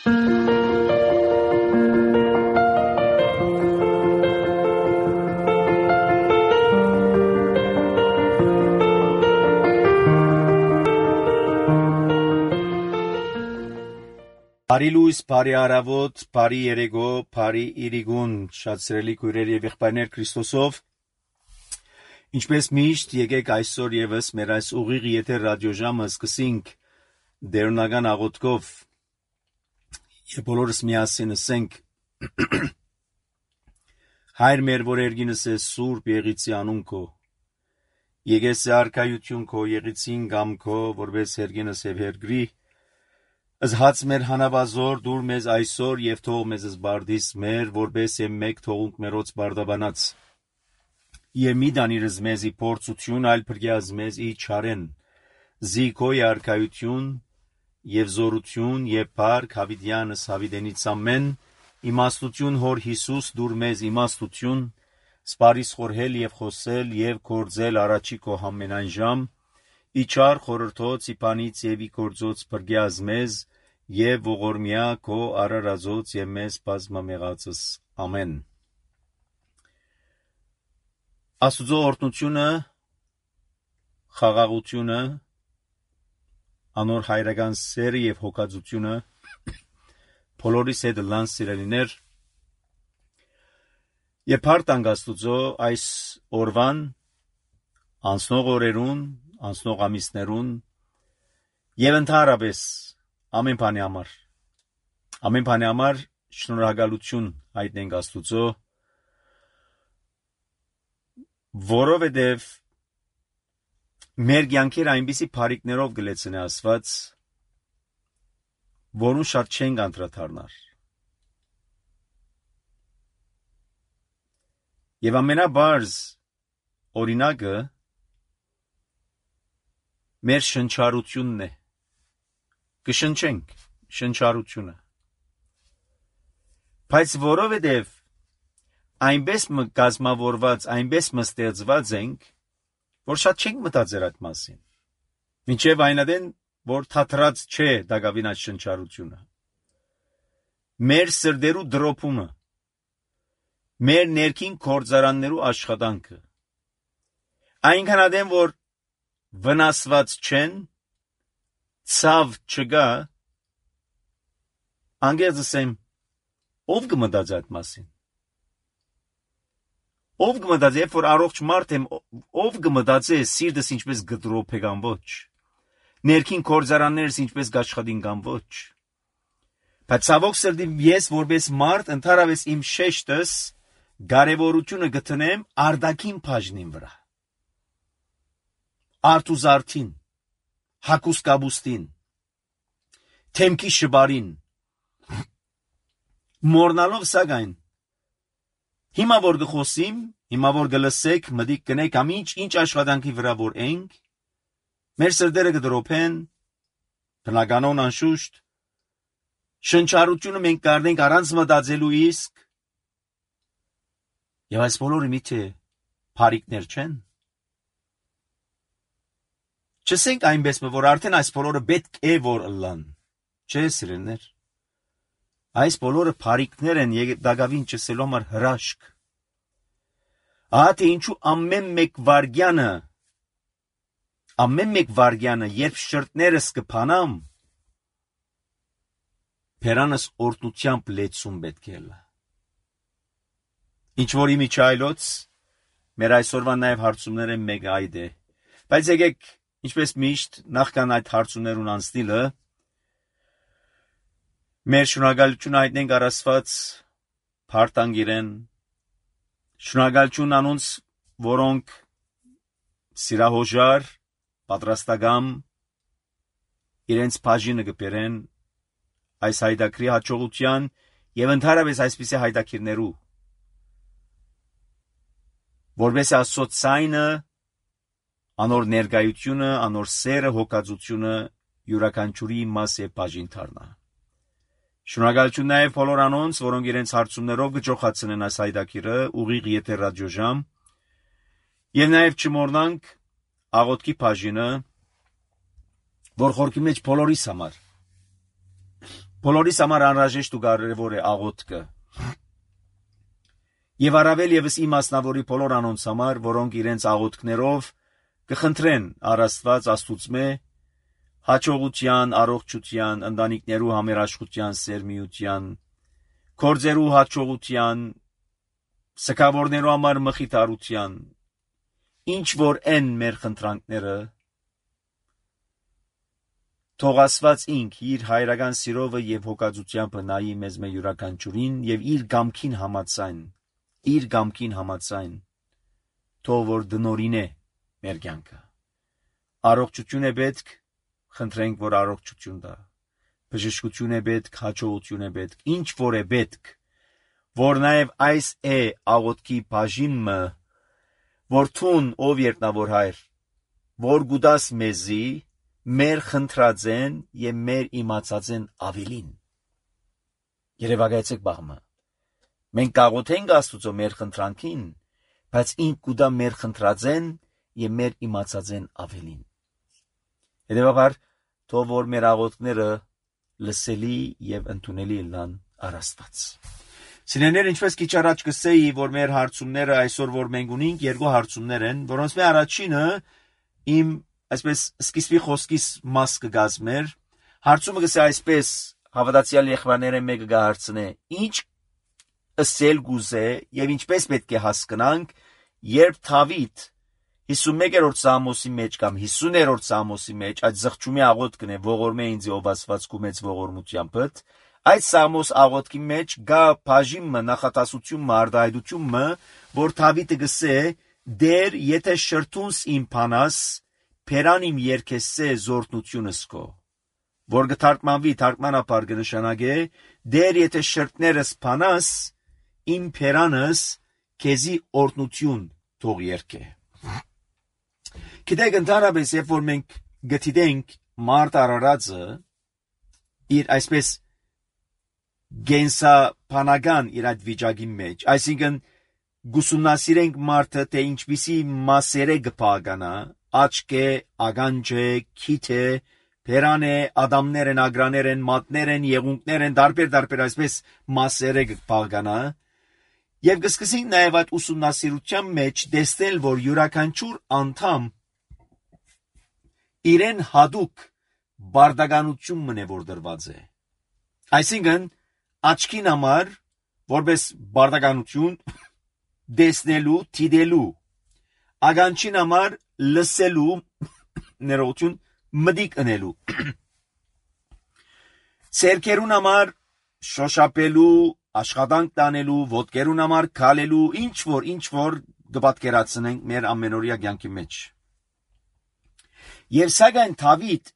Բարի լույս, բարի առավոտ, բարի երեկո, բարի իրիգուն, շատ սիրելի քույրեր եւ եղբայրներ Քրիստոսով։ Ինչպես միշտ, եկեք այսօր եւս մեր այս ուղիղ եթեր ռադիոժամը սկսենք դերունական աղոթքով եւ բոլորս միասին ասենք. Հայր մեր, որ երգինս է սուրբ եղիցի անուն քո, եկես արքայություն քո, եղիցին գամ քո, որպես երգինս եւ հերգրի, Զհաց մեր հանավազոր դուր մեզ այսօր եւ թող մեզ զբարդիս մեր, որպես եմ մեկ թողունք մերոց բարդաբանած։ Եվ մի դանիրս մեզի փորձություն, այլ փրկյազ մեզ ի չարեն, զիքոյ արքայություն եւ զորություն եւ փառք հավիտյանս հավիտենից ամեն, իմաստություն հոր Հիսուս դուր մեզ իմաստություն, սպարիս խորհել եւ խոսել եւ կործել առաջի քո ամենայն ժամ, ի չար խորհրդոց իբանից եւ ի կործոց փրկյազ մեզ, եւ ողորմյա քո արարածոց եւ մեզ բազմամեղածս ամեն։ Աստուծո օրհնությունը, խաղաղությունը, անոր հայրական սերը եւ հոգածությունը բոլորիս հետ լան սիրելիներ եւ փառք Աստուծո այս օրվան անցնող օրերուն, անցնող ամիսներուն եւ ընդհանրապես ամեն բանի համար շնորհակալություն հայտնենք Աստուծո, որովհետև մեր կյանքերը այնպիսի բարիքներով գլեցնե Աստված, որուն շատ չենք անդրադառնար։ Եվ ամենաբարձ օրինակը մեր շնչառությունն է։ Կշնչենք շնչառությունը։ Բայց որովհետև այնպես կազմավորված, այնպես ստեղծված ենք, որ շատ չենք մտածել այդ մասին։ Մինչև այնադեն, որ թատրած չէ դակավին այդ շնչառությունը։ Մեր սրտերու դրոփումը, մեր ներքին գործարաններու աշխատանքը, այնքան ադեմ, որ վնասված չեն, ցավ չկա, անգերձ ասեմ, ով կմտածի այդ մասին։ Ով կմտածի, երբ որ առողջ մարդ եմ, ով կմտածի սիրտս ինչպես գդրոփ է կամ ոչ, ներքին գործարաններս ինչպես կաշխատին կամ ոչ։ Բայց ցավոք սրտի ես որպես մարդ ընդհանրապես իմ շեշտս կարևորությունը գտնեմ արտաքին բաժնին վրա։ Արտուզարդին, հակուսկաբուստին, թեմքի շբարին, մորնալով սակայն, հիմա որ գխոսիմ, հիմա որ գլսեք, մտիկ կնեք ինչ աշխատանքի վրա որ ենք, մեր սրտերը կդրոփեն, բնականon անշուշտ, շնչառությունը մենք կարդենք առանց մտածելու իսկ, եւ այս բոլորը միթե բարիքներ չեն։ Չսենք այնպես, որ արդեն այս բոլորը պետք է որ ըլլան, չէ սիրելիներ։ Այս բոլորը բարիքներ են դակավին չսելու համար հրաշք։ Ահա թե ինչու ամեն մեկ վարգյանը, երբ շրտներս կփանամ, բերանս օրհնությամբ լեցում պետք է լա։ Ինչ որ իմիջայլոց, մեր այսօրվա նաև հարցումները մեկ այդ է։ Բայց եկեք, ինչպես միշտ, նախքան այդ հարցումներուն անցնելը, մեր շնորհակալություն հայտնենք առ Աստված, փառք իրեն, շնորհակալություն անոնց, որոնք սիրահոժար, պատրաստական, իրենց բաժինը կբերեն այս հայդակրի հաջողության եւ ընդհանրապես այսպիսի հայդակիրներու, որպես Աստծո ցայնը, անոր ներկայությունը, անոր սերը, հոգածությունը յուրաքանչյուրի մաս է բաժին դառնա։ Շնորհակալություն նաև բոլոր անոնց, որոնք իրենց հարցումներով կճոխացնեն այս հայդակիրը ուղիղ եթեր ռադիոժամ, եւ նաև չմոռնանք աղոթքի բաժինը, որ խորքի մեջ բոլորիս համար բոլորիս համար անհրաժեշտ ու կարևոր է աղոթքը։ Եվ առավել եւս իմ մասնավորի բոլոր անոնց համար, որոնք իրենց աղոթքներով կխնդրեն առաստված Աստուծմե հաջողության, առողջության, ընտանիքներու համերաշխության, սերմիության, գործերու հաջողության, սքավորներու համար մխիթարության, ինչ որ են մեր խնդրանքները, թող Աստված ինք իր հայրական սիրովը եւ հոգածությամբ նայի մեզ մեր յուրաքանչյուրին եւ իր գամքին համաձայն թող որ դնորինե մեր կյանքը։ Առողջություն է պետք, խնդրենք որ առողջություն տա։ Բժշկություն է պետք, հաջողություն է պետք, ինչ որ է պետք, որ նաեւ այս է աղոթքի բաժինը, որ թուն ով երտնավոր հայր, որ գուդաս մեզի մեր խնդրածեն եւ մեր իմացածեն ավելին։ Երևակայեցեք բաղմը։ Մենք կաղոթենք Աստուծո մեր խնդրանքին, բայց ինք գուդա մեր խնդրածեն եւ մեր իմացածեն ավելին։ Հետևաբար, թող որ մեր աղոթքները լսելի եւ ընդունելի լինեն առաստված։ Սիրելիներ, ինչպես քիչ առաջ կսեի, որ մեր հարցումները այսօր որ մենք ունենք երկու հարցումներ են, որոնց մեր առաջինը իմ այսպես սկիզբի խոսքիս մաս կգազմեր, հարցումը գսե այսպես հավատացյալ եղբայրները մեկը գահարցնե, ինչ ըսել գուզե եւ ինչպես պետք է հասկանանք, երբ Դավիթ 51-րդ Սամոսի մեջ կամ 50-րդ Սամոսի մեջ այդ զղջումի աղոթքն է ողորմե ինձ ով Աստվածքու մեծ ողորմությամբ, այդ Սամոս աղոթքի մեջ գա բաժինը նախատասությունը արդայդությունը, որ Դավիթը գսե դեր եթե շրթունս իմ փանաս Փերան իմ երկեսե զորտնությունս քո, որ գթարգմանվի թարգմանապար կնշանակե դեր եթե շրթներս փանաս իմ փերանս քեզի օրտնություն թող երկե։ Գիտեք ընդհանրապես երբ որ մենք գտիդենք մարդ արարածը իր այսպես գենսապանական իր այդ վիճակի մեջ, այսինքն գուսումնասիրենք մարդը թե ինչպիսի մասերը կփականա, աչք է, ականջ է, քիթ է, փերան է, ադամներ են, ագրաներ են, մատներ են, եղունգներ են, դարբեր այսպես մասերը կփականա, եւ կսկսենք նաեւ այդ ուսումնասիրության մեջ տեսնել, որ յուրաքանչյուր անդամ իրեն հadouk բարդականություն մնե որ դրված է։ Այսինքն աչքին համար որպես բարդականություն տեսնելու, դիտելու, ականջին համար լսելու, ներողություն, մտիկ ընելու, ցերկերուն համար շոշափելու, աշխատանք տանելու, ոտքերուն համար քալելու, ինչ որ դպատկերացնենք մեր ամենօրյա կյանքի մեջ։ Եվ սակայն Դավիթ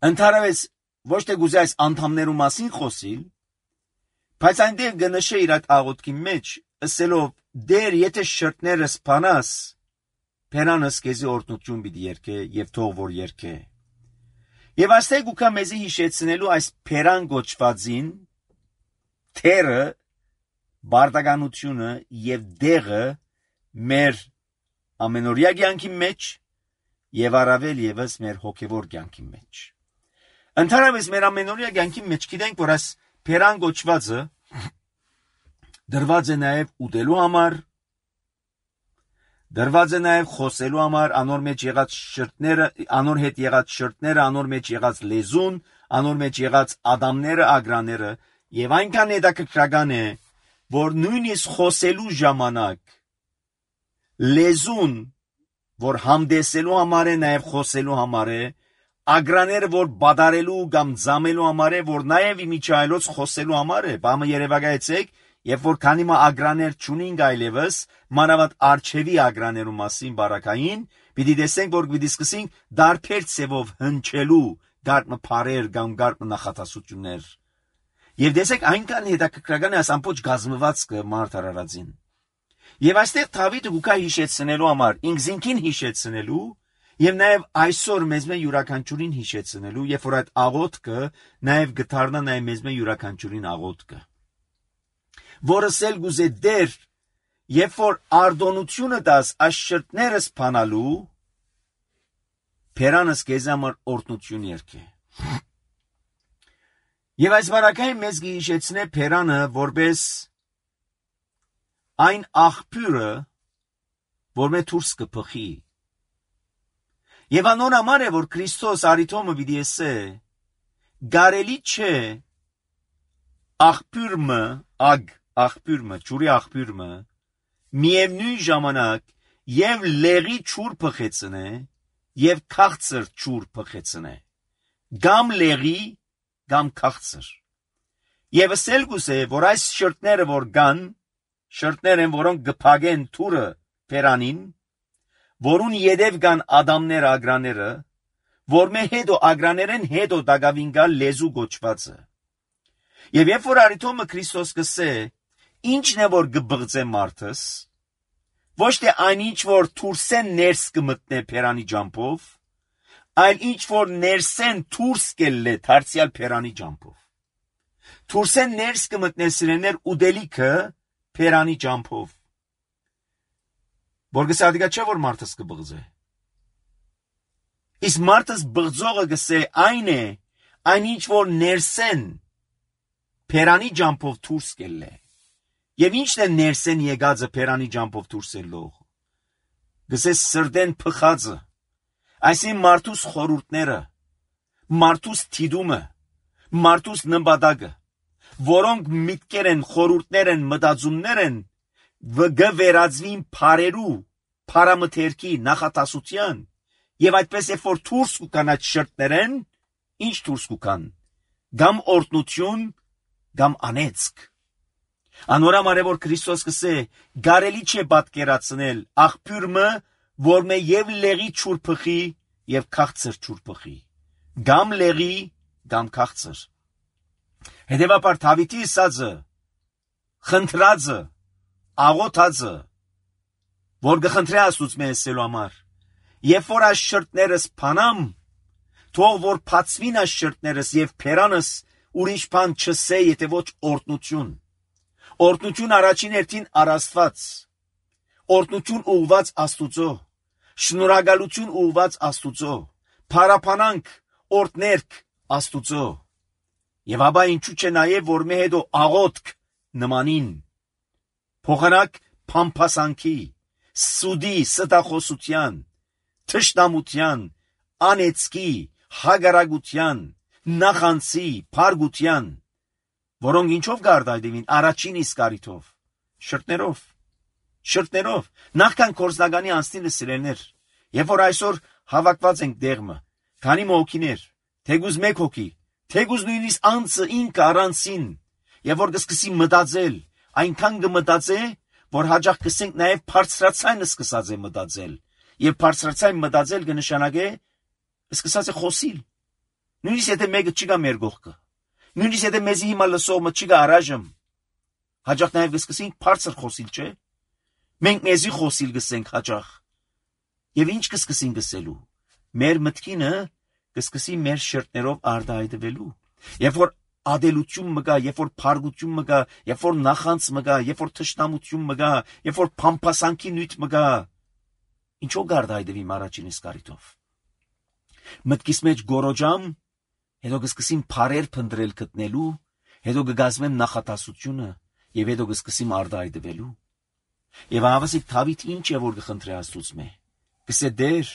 ընդհանրապես ոչ թե գուզե այս անդամներու մասին խոսիլ, բայց այնտեղ գնշե իր այդ աղոթքի մեջ, ասելով դեր եթե շրթներս փանաս, փերանս քեզի օրտնություն պիտի երկե եւ թող որ երկե։ Եվ այստեղ գուքա մեզի հիշեցնելու այս փերան գոչվածին թերը բարդականությունը եւ դեղը մեր ամենօրյա կյանքի մեջ եւ առավել եւս մեր հոգեվոր կյանքի մեջ։ Ընդհանրապես մեր ամենօրյա կյանքի մեջ գիտենք, որ այս փերան գոչվածը դրված է նաեւ ուտելու համար, դրված է նաեւ խոսելու համար, անոր մեջ եղած շրթները, անոր հետ եղած շրթները, անոր մեջ եղած լեզուն, անոր մեջ եղած ադամները, ագրաները եւ այնքան հետաքրքրական է, որ նույնիսկ խոսելու ժամանակ լեզուն, որ համդեսելու համար է, նաեւ խոսելու համար է, ագրաները, որ բադարելու կամ զամելու համար է, որ նաեւ իմիջայլոց խոսելու համար է, բամը երևակայեցեք, երբ որ քանի մա ագրաներ չունենք այլևս, մանավանդ արջևի ագրաներու մասին բարակային, պիտի տեսենք, որ պիտի սկսենք դարբեր ցևով հնչելու գարմը փարեր կամ գարմը նախատասություններ։ Եվ տեսեք այնքան հետաքրքրական է այս ամբողջ գազմվածքը մարդ արարածին։ Եվ այստեղ Դավիթը գուքա հիշեցնելու համար, ինքզինքին հիշեցնելու, եւ նաեւ այսօր մեզ մե յուրաքանչյուրին հիշեցնելու, երբ որ այդ աղոթքը նաեւ գթարնա նաեւ մեզ մե յուրաքանչյուրին աղոթքը։ Որս էլ գուզե դեր, երբ որ արդոնությունը դաս այս շրթներս փանալու, փերանս քեզ համար օրտնություն երկե։ Եվ այս վարակային մեզ գիշեցնե Փերանը որպես այն աղբյուրը, որ մե դուրս կփխի։ Եվ անոր համար է, որ Քրիստոս արիթոմը պիտի ասե, գարելի չէ աղբյուրը, ջուրի աղբյուրը, միևնույն ժամանակ եւ լեղի ջուր փխեցնե եւ քաղցր ջուր փխեցնե, գամ լեղի, գամ քաղցր։ Եվ ասել գուզե, որ այս շրտները որ կան, շրտներ են, որոնք գփագեն թուրը Փերանին, որուն յետև կան ադամներ ագրաները, որ մե հետո ագրաներեն հետո դագավին գալ լեզու գոչվածը։ Եվ երբ որ արիթոմը Քրիստոս կսե, ինչն է որ գբղծե մարդս, ոչ թե այնինչ որ թուրսեն ներս կմտնե Փերանի ջամփով, այլ ինչ որ ներսեն թուրս կելլե դարձյալ Փերանի ջամփով։ Թուրսեն ներս կմտնե սիրեներ ուդելիքը Փերանի ջամփով։ Որ գսադիկա չէ որ մարդս կբղծե։ Իսկ մարդս բղծողը գսե այն է, այնինչ որ ներսեն Փերանի ջամփով դուրս կելլե։ Եվ ինչն է ներսեն եկածը Փերանի ջամփով դուրս ելող։ Գսե սրդեն փխածը, այսին մարդուս խորուրդները, մարդուս թիդումը, մարդուս նպատակը, որոնք միտքեր են, խորուրդներ են, մտածումներ են, վերածվին փարերու, փարամթերքի նախատասության, եւ այդպես երբ որ դուրս կան այդ շրտներեն, ինչ դուրս կան, գամ օրտնություն, գամ անեծք։ Անորամար է որ Քրիստոս կսե, գարելի չէ պատկերացնել աղբյուրը, որ մե եւ լեղի ջուր փխի եւ քաղցր ջուր փխի, գամ լեղի, գամ քաղցր։ Հետևաբար Դավիթի ասածը, խնդրածը, աղոթածը, որ գխնդրե Աստծո ասելու համար, երբ որ այս շրտներս փանամ, թող որ փացվին այս շրտներս եւ Փերանս ուրիշ բան չսե, եթե ոչ օրտնություն։ Օրտնություն առաջին հերթին առաստված, օրտնություն ուղված Աստուծո, շնորհակալություն ուղված Աստուծո, փարապանանք, օրտներք Աստուծո։ Եվ ապա ինչու՞ չէ նաև որ մե հետո աղոթք նմանին, փոխանակ փամփասանքի, սուդի, ստախոսության, թշնամության, անեծքի, հագարագության, նախանցի, փարգության, որոնք ինչով գարդայդին առաջին իսկ արիթով, շրտներով, նախքան կորզնականի անցնիլը սիրելներ, երբ որ այսօր հավաքված ենք դեղմը, քանի մոհոքիներ, թեգուզ մեկ հոգի, թեգուզ նույնիսկ անձը ինքը առանցին, եւ որ կսկսի մտածել, այնքան կմտածե, որ հաջող կսենք նաեւ բարձրացայինը սկսած է մտածել, եւ բարձրացայն մտածել կնշանակե սկսած է խոսիլ։ Նույնիսկ եթե մեկը չի գա մեր գողքը, նույնիսկ եթե մեզի հիմա լսողը չի գա առայժմ, հաջող նաեւ կսկսենք բարձր խոսիլ, չէ՞։ Մենք մեզի խոսիլ գսենք հաջող։ Եվ ինչ կսկսենք գսելու։ Մեր մտքինը կսկսի մեր շրտներով արտահայտվելու։ Երբ որ ադելություն մգա, երբ որ փարգություն մգա, երբ որ նախանց մգա, երբ որ թշնամություն մգա, երբ որ փամփասանքի նույթ մգա, ինչու գարդայդվի առաջին իսկ արիթով։ Մտքիս մեջ գորոջամ, հետո կսկսիմ փարեր փնտրել գտնելու, հետո կգազմեմ նախատասությունը եւ հետո կսկսիմ արտահայտվելու։ Եվ ավասիկ Դավիթ ինչ է որ կխնդրի Աստծո։ Գսե դեր,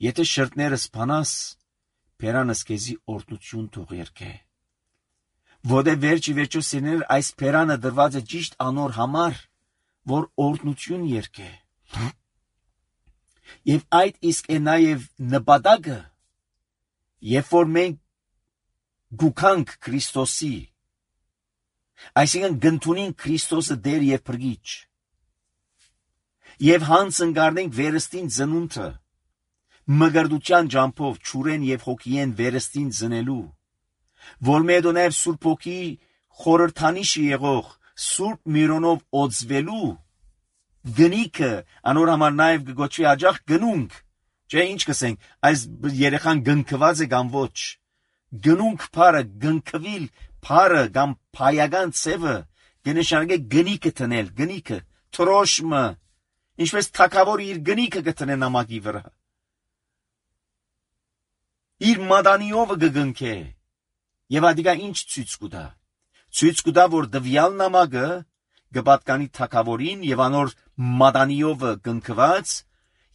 եթե շրտներս փանաս, Փերանս քեզի օրտնություն թող երկե։ Որտե վերջի սիրներ այս Փերանը դրված է ճիշտ անոր համար, որ օրտնություն երկե։ Եվ այդ իսկ է նաև նպատակը, երբ որ մենք գուքանք Քրիստոսի, այսինքն գնդունին Քրիստոսը դեր եւ փրկիչ, եւ հանցնկարնենք վերստին ծնունդը, մգրդության ջամփով ճուրեն եւ հոգիեն վերստին ծնելու, որ մեդո նաև Սուրբ Հոգի խորհրդանիշի եղող Սուրբ Միրոնով օծվելու գնիկը անոր համար նաև գոչվի աջախ գնունք, չէ ինչ կսենք, այս երեխան գնքված է կամ ոչ, գնունք փարը, գնքվիլ փարը կամ փայական ծևը կնշանակե գնիկը տնել, գնիկը, թրոշմը, ինչպես թակավորը իր գնիկը կտնե նամակի վրա, իր մադանիովը կգնքե, Եվ ադիգա ինչ ցույց կուտա։ Ցույց կուտա, որ դվյալ նամակը գպատկանի թակավորին եւ անոր մատանիովը կնքված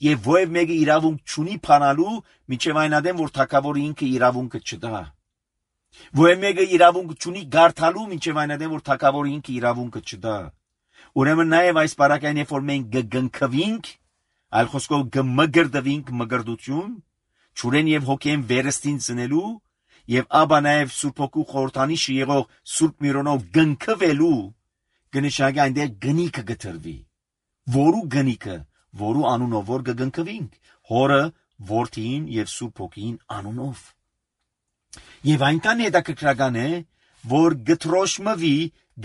եւ ովև մեկը իրավունք չունի փանալու միջև այն ադեմ, որ թակավորը ինքը իրավունքը չտա։ Ովև մեկը իրավունք չունի գարթալու միջև այն ադեմ, որ թակավորը ինքը իրավունքը չտա։ Ուրեմն նաեւ այս բարակային երբ որ մենք կգնքվինք, այլ խոսքով կմգրդվինք մգրդություն, ճուրեն եւ հոգեն վերստին ծնելու եւ աբա նաեւ Սուրբ Հոգու խորհրդանիշը եղող Սուրբ Միրոնով գնքվելու կնշանակի այնտեղ գնիքը գտրվի։ Որու գնիքը, որու անունով որ կգնքվինք, Հորը, Որդին եւ Սուրբ Հոգին անունով։ Եվ այնքան հետաքրքրական է, որ գտրոշմվի,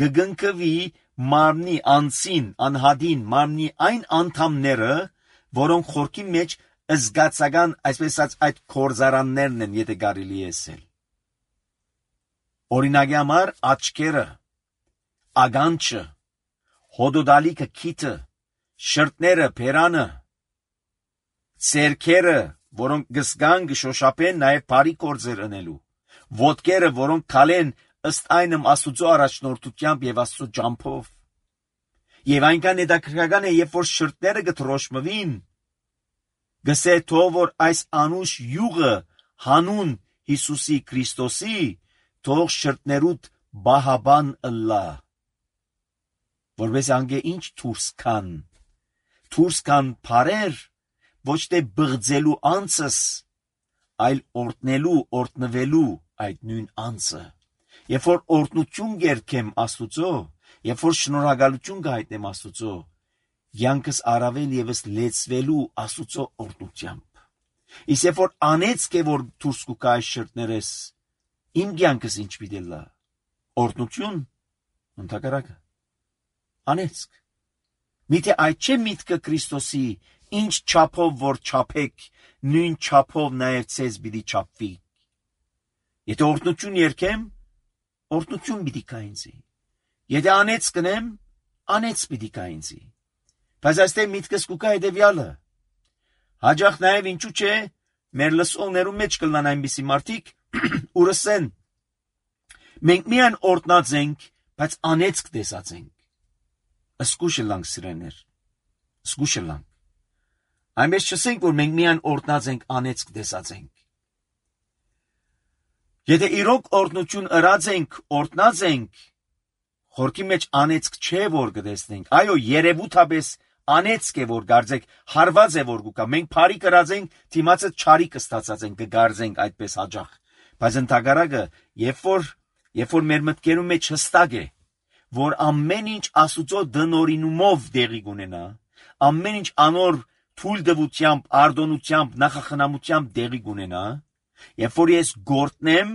գգնքվի մարմնի անցին, անհադին մարմնի այն անդամները, որոնք խորքի մեջ զգացական, այսպես ասած, այդ կորզարաններն են, եթե կարելի է ասել։ Օրինակի համար աչքերը, ագանչը, հոդոդալիքը, քիթը, շրտները, փերանը, ցերքերը, որոնք գսգան գշոշապեն նաև բարի կորձեր ընելու, ոտքերը, որոնք քալեն ըստ այնմ Աստուծո առաջնորդությամբ եւ Աստծո ջամփով։ Եվ այնքան հետաքրքրական է, երբ որ շրտները գտրոշմվին, գսե թող որ այս անուշ յուղը հանուն Հիսուսի Քրիստոսի թող շրտներուդ բահաբան ըլլա, որպես անգե ինչ դուրս կան բարեր, ոչ թե բղձելու անցս, այլ օրտնվելու այդ նույն անցը։ Երբ որ օրտնություն գերքեմ Աստուծո, երբ որ շնորհակալություն կհայտնեմ Աստուծո, յանքս առավել եւս լեցվելու Աստուծո օրտնությամբ։ Իսկ երբ որ անեծք է որ դուրս կուկա այս շրտներես, իմ յանքս ինչ պիտի լա։ Օրտնություն, ընդհակառակը, անեծք։ Միթե այդ չէ միտքը Քրիստոսի, ինչ չափով որ չափեք, նույն չափով նաև ցեզ պիտի չափվի։ Եթե օրտնություն երկեմ, օրտնություն պիտի կա ինձի։ Եթե անեծ կնեմ, անեծ պիտի կա ինձի։ Բայց այստեղ միտքս կուկա հետևյալը։ Հաջող նաև ինչու՞ չէ, մեր լսողներու մեջ կլան այնպիսի մարդիկ, որ ասեն. մենք միայն օրտնած ենք, բայց անեծք տեսած ենք։ Սկուշը լանք սիրեներ, սկուշը լանք։ Այնպես չասենք, որ մենք միայն օրտնած ենք, անեծք տեսած ենք։ Եթե իրոք օրտնություն ըրած ենք, օրտնած ենք, խորքի մեջ անեծք չէ որ կտեսնենք, այո, երևութաբես անեծք է որ գարձեք, հարված է որ գուկա, մենք բարի կրած ենք, դիմացը չարի կստացած ենք, կգարձենք այդպես հաջող։ Բայց ընդհակառակը, երբ որ մեր մտքերում մեջ հստակ է, որ ամեն ինչ Աստուծո դնորինումով դեղի կունենա, ամեն ինչ անոր թույլտվությամբ, արտոնությամբ, նախախնամությամբ դեղի կունենա, երբ որ ես գործնեմ,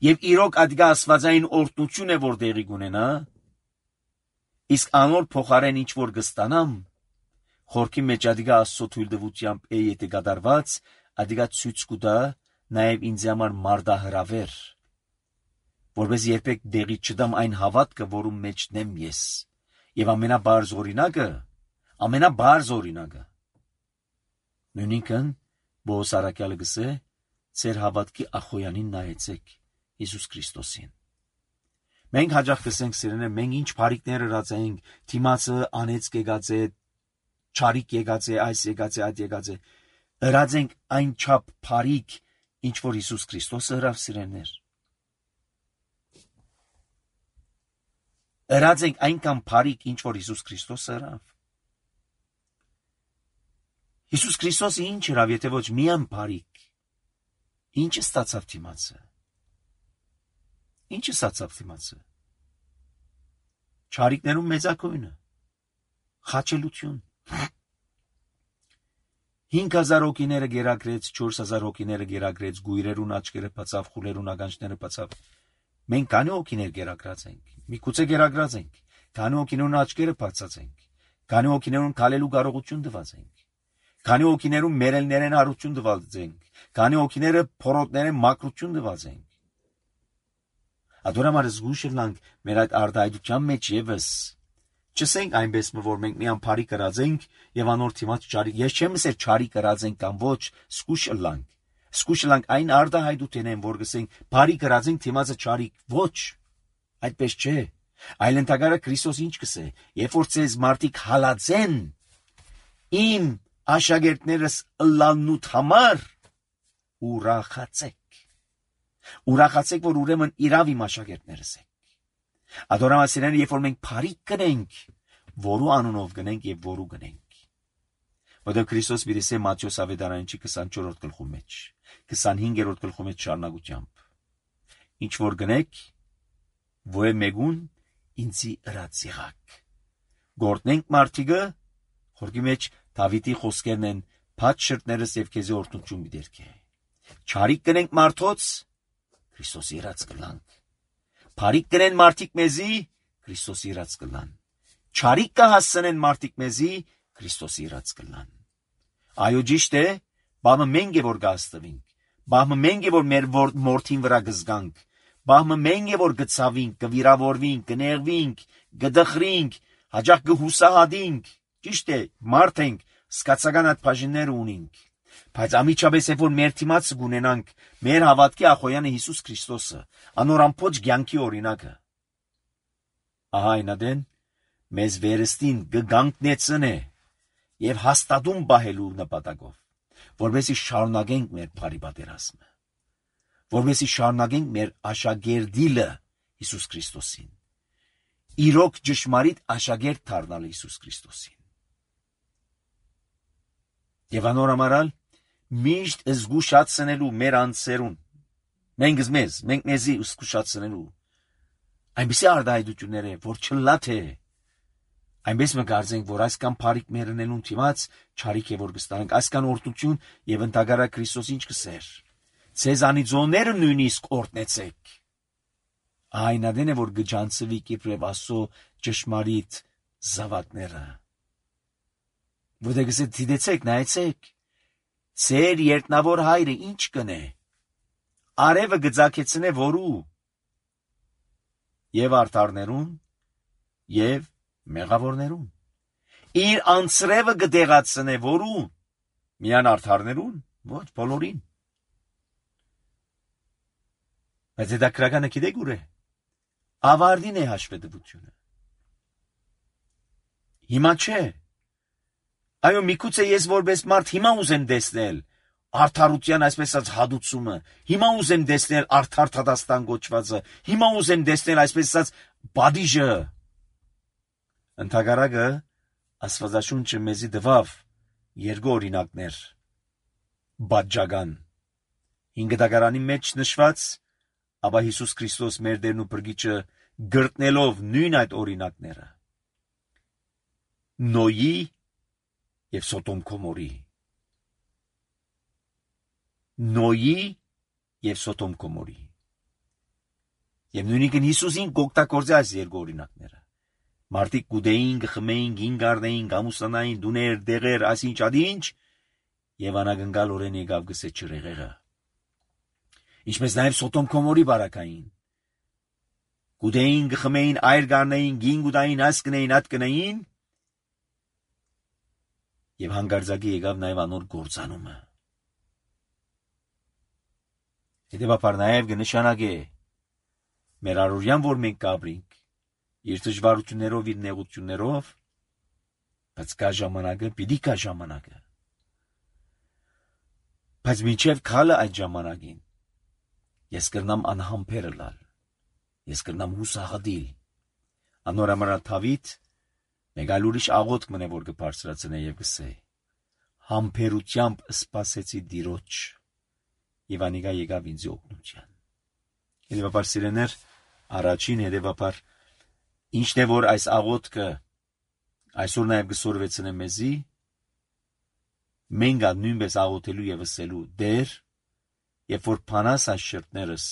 եւ իրոք ադգա աստվածային օրտնություն է որ դեղի կունենա, իսկ անոր փոխարեն ինչ որ կստանամ, խորքի մեջ ադգա Աստծո թույլտվությամբ է եթե կատարված, ադգա ցույց կտա նաեւ ինձ համար մարդահրավեր, որպես երբեք դեղի չդամ այն հավատքը, որում մեջն եմ ես, եւ ամենաբարձ օրինակը, նույնիսկ Բոս Արաքյալը գսե, ծեր հավատքի ախոյանին նայեցեք, Հիսուս Քրիստոսին։ Մենք հաջող կսենք սիրեներ, մենք ինչ բարիկներ ըրած ենք, թիմացը անեծք եկած է, չարիք եկած է, այս եկած է, այդ եկած է, ըրած ենք այն չափ բարիկ, ինչ որ Հիսուս Քրիստոսը ըրավ սիրեներ։ Ըրած ենք այնքան բարիկ, ինչ որ Հիսուս Քրիստոսը ըրավ։ Հիսուս Քրիստոսը ինչ ըրավ, եթե ոչ միայն բարիկ, ինչ ստացավ թիմացը։ Ինչ ստացավ թիմացը։ Չարիքներում մեծակույնը, խաչելություն։ 5000 հոգիները գերակրեց, 4000 հոգիները գերակրեց, գույրերուն աչքերը բացավ, խուլերուն ականջները բացավ։ Մենք քանի հոգիներ գերակրած ենք, միգուցե գերակրած ենք, քանի հոգիներուն աչքերը բացած ենք, քանի հոգիներուն քալելու կարողություն տված ենք, քանի հոգիներուն մերելներեն հարություն տված ենք, քանի հոգիները փորոտներեն մակրություն տված ենք։ Ադորամար զգուշելանք մեր այդ արտահայտության մեջ եւս չսենք այնպես որ մենք միան բարի կրած ենք եւ անոր թիմած չարի։ Ես չեմ ասել չարի կրած ենք կամ ոչ, զգուշելանք։ Սկուշլանք այն արդահայտութենեն, որ գսենք բարի գրածենք թիմածը չարիք, ոչ, այդպես չէ, այլ ընդհակառը Քրիստոս ինչ կսե, երբ որ ձեզ մարդիկ հալածեն, իմ աշակերտներս ըլլանուտ համար, ուրախացեք, որ ուրեմն իրավ իմ աշակերտներս եք, ադորամասիրները, երբ որ մենք բարիք գնենք, որու անունով գնենք և որու գնենք, որտեղ Քրիստոս բերես է Մատթեոս ավետարանչի 24-րդ գլխու մեջ, 25-րդ գլխու մեջ շարունակությամբ, ինչ որ գնեք, ոե մեգուն ինձի ըրած եղաք, գործնենք մարդիկը, խորքի մեջ Դավիթի խոսքերն են, փած շրտներս և քեզի օրհնություն դերքե, չարիք գնենք մարդոց, Քրիստոսի ըրած կլանք, բարիք գնեն մարդիկ մեզի, Քրիստոսի ըրած կլան, չարիք կհասցնեն մարդիկ մեզի, Քրիստոսի ըրած կլան, այո ճիշտ է, բամը մենք է որ գաստվինք, բամը մենք է որ մեր մորթին վրա գզգանք, բամը մենք է որ գծավինք, կվիրավորվինք, կներվինք, գդխրինք, հաջախ գհուսահատինք, ճիշտ է, մարդ ենք, սկացական այդ բաժինները ունենք, բայց ամիջապես է որ մեր թիմացը գունենանք, մեր հավատքի ախոյանը Հիսուս Քրիստոսը, անորանփոչ կյանքի օրինակը, ահա այնադեն, մեզ վերստին գգանքնեցն է և հաստատում բահելու նպատակով, որպեսզի շարունակենք մեր բարի պատերազմը, որպեսզի շարունակենք մեր աշակերտիլը Հիսուս Քրիստոսին, իրոք ճշմարիտ աշակերտ դառնալ Հիսուս Քրիստոսին։ Եվ անորամարալ միշտ զգուշացնելու մեր անձերուն, մենք մեզի զգուշացնելու, այնպիսի արդահայտություններ է, որ չլա թե, այնպես մենք կարծենք, որ այսքան բարիք մերնելուն թիմած չարիք է որ կստանանք, այսքան օրհնություն եւ ընդհակառը Քրիստոս ինչ կսեր, ձեզ անիծողները նույնիսկ օրհնեցեք, այնադեն է որ գջանցվի իբրև Աստծո ճշմարիտ զավակները, որտեղ գսե դիտեցեք, նայեցեք, ձեր երտնավոր հայրը ինչ կնե, արևը գծակեցնե որու, եւ արդարներուն, եւ մեղավորներուն, իր անձրևը գդեղացնե որու, միան արդարներուն, ոչ բոլորին, բայց դա քրականը գիտեք ուր է, ավարտին է հաշվետվությունը, հիմա չէ, այո միգուցե ես որպես մարդ հիմա ուզեմ տեսնել, արդարության այսպես ասած հադուցումը, հիմա ուզեմ տեսնել արդար Թադաստան գոչվածը, հիմա ուզեմ տեսնել այսպես ասած բադիժը, ընդհակառակը Աստվածաշունչը մեզի տվավ երկու օրինակներ բաժական 5 դագարանի մեջ նշված, ապա Հիսուս Քրիստոս մեր Տերն ու Փրկիչը գրտնելով նույն այդ օրինակները Նոյի եւ Սոդոմ Գոմորի Նոյի եւ Սոդոմ Գոմորի եւ նույնիսկ Հիսուսին գոկտակորձի այս երկու օրինակները մարդիկ գուդեին, գխմեին, գինգարնեին, գամուսանային, դուներ, դեղեր, այսինչ ադինչ եւ անագնգալ օրեն եկավ գսե չրեղեղը ինչպես նաեւ Սոդոմ Գոմորի բարակային գուդեին, գխմեին, այր գարնեին, գին գուդային, աս կնեին, ատ կնեին եւ հանգարձակի եկավ նաեւ անոր գործանումը հետեւաբար նաեւ կնշանակե մեր առօրյան որ մենք կապրինք իր դժվարություններով, իր նեղություններով, բայց կա ժամանակը, պիտի կա ժամանակը։ Բայց մինչև քալը այդ ժամանակին, ես կրնամ անհամբերը լալ, ես կրնամ հուսահատիլ, անորամարա Դավիթ, մեկ այլ ուրիշ աղոթք մնե, որ կբարձրացնե եւ կսե, համբերությամբ սպասեցի Տիրոջ, եւ անիկա եկավ ինձ օգնության։ Հետեւաբար սիրեներ, առաջին հետեւաբար ինչն է որ այս աղոթքը այսօր նաև գսորվեցնե մեզի մենք նույնպես աղոթելու եւ ասելու դեր երբ որ փանաս այս շրտներս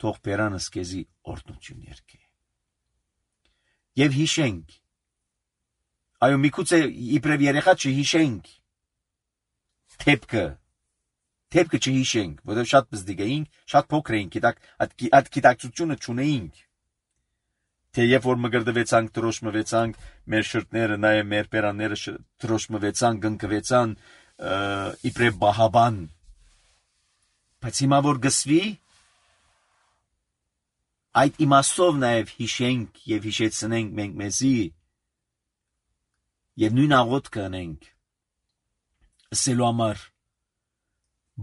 թող բերանս քեզի օրհնություն երկե եւ հիշենք այո միգուցե իբրև երեխա չհիշենք թեփքը չհիշենք որովհետեւ շատ բզդիկ էինք շատ փոքր էինք այդ գիտակցությունը չունեինք թե երբ որ մգրդվեցանք, դրոշմվեցանք, մեր շրտները, նաև մեր բերանները դրոշմվեցան, գնկվեցան, իբրև բահաբան, Բայց հիմա որ գսվի, այդ իմաստով նաև հիշենք և հիշեցնենք մենք մեզի և նույն աղոթքը անենք, ասելու համար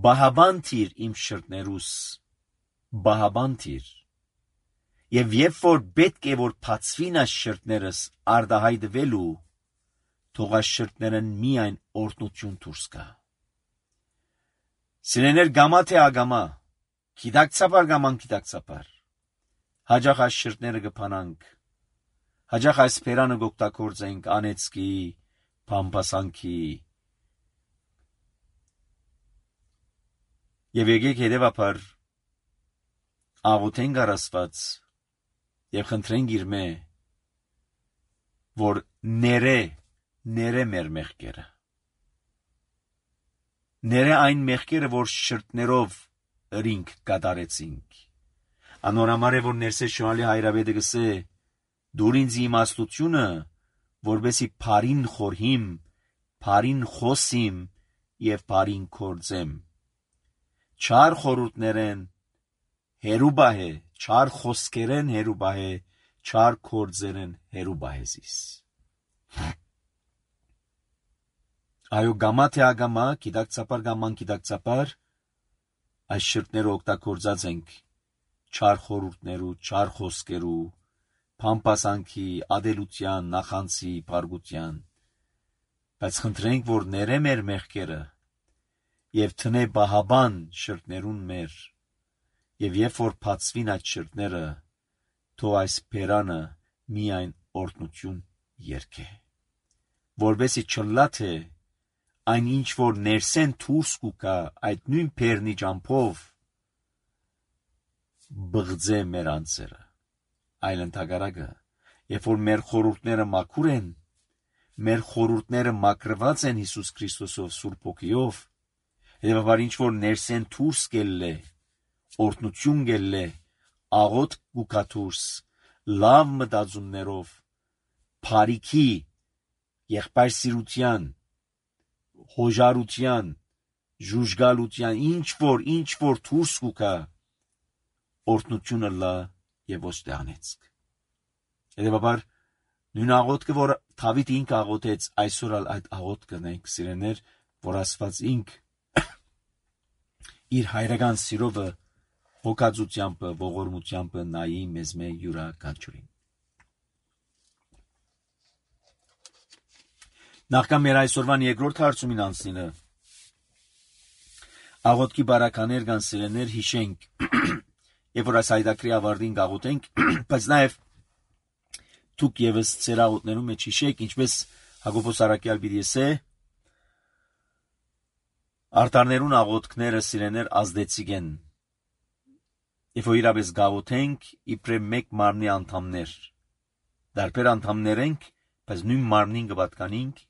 բահաբան թիր իմ շրտներուս, բահաբան թիր, և երբ որ պետք է որ բացվին այս շրտներս արդահայտվելու, թող այս շրտներն միայն օրհնություն դուրս գա։ Սիրելիներ, գամա թե ագամա, գիտակցաբար կամ անգիտակցաբար, հաճախ այս շրտները կփանանք, հաճախ այս բերանը կօգտագործենք անեծքի, փամփասանքի, և եկեք հետևաբար աղոթենք առ Աստված և խնդրենք իր մե, որ ներե մեր մեղքերը, ներե այն մեղքերը, որ շրտներով ըրինք կատարեցինք։ Անորամար է, որ ներսես շնորհալի հայրապետը գսե, դուր ինձ իմաստությունը, որբեսի բարին խորհիմ, բարին խոսիմ և բարին գործեմ։ Չար խորհուրդներեն հեռու բահե, չար խոսքերեն հեռու բահե, չար գործերեն հեռու բահեզիս։ Այո, գամա թե ագամա, գիտակցաբար կամ անգիտակցաբար, այս շրտները օգտագործած ենք չար խորհուրդներու, չար խոսքերու, փամփասանքի, ադելության, նախանցի, բարգության, բայց խնդրենք, որ ներե մեր մեղքերը և տնե բահաբան շրտներուն մեր, և երբ որ բացվին այդ շրտները, թող այս բերանը միայն օրհնություն երգե, որբեսի չլա թե այն ինչ որ ներսեն դուրս կուկա այդ նույն բերնի ճամփով բղձե մեր անձերը, այլ ընդհակառակը, երբ որ մեր խորհուրդները մաքուր են, մեր խորհուրդները մաքրված են Հիսուս Քրիստոսով Սուրբ Հոգիով, հետևաբար ինչ որ ներսեն դուրս գելլե, օրհնություն գելլե, աղոթք կուկա դուրս, լավ մտածումներով, բարիքի, եղբայրսիրության, հոժարության, ժուժգալության, ինչ որ դուրս կուկա, օրհնությունը լա և ոչ թե անեծք։ Հետևաբար նույն աղոթքը, որ Դավիթ ինքը աղոթեց, այսօր այդ աղոթքը նենք սիրելիներ, որ Աստված ինք իր հայրական սիրովը հոգածությամբ, ողորմությամբ նայի մեզ մե յուրաքանչյուրին։ Նախքան մեր այսօրվան երկրորդ հարցումին անցնելը, աղոթքի բարականեր կան սիրելիներ հիշենք, երբ որ այս հայդակրի ավարտին աղոթենք, բայց նաև դուք ևս ձեր աղոթներում մեջ հիշեք, ինչպես Հակոբոս առաքյալ պիտի ասե, արդարներուն աղոթքները սիրելիներ ազդեցիկ են, երբ որ իրապես գաղոթենք, իբրև մեկ մարմնի անդամներ, դարբեր անդամներ ենք, բայց նույն մարմնին կպատկանենք,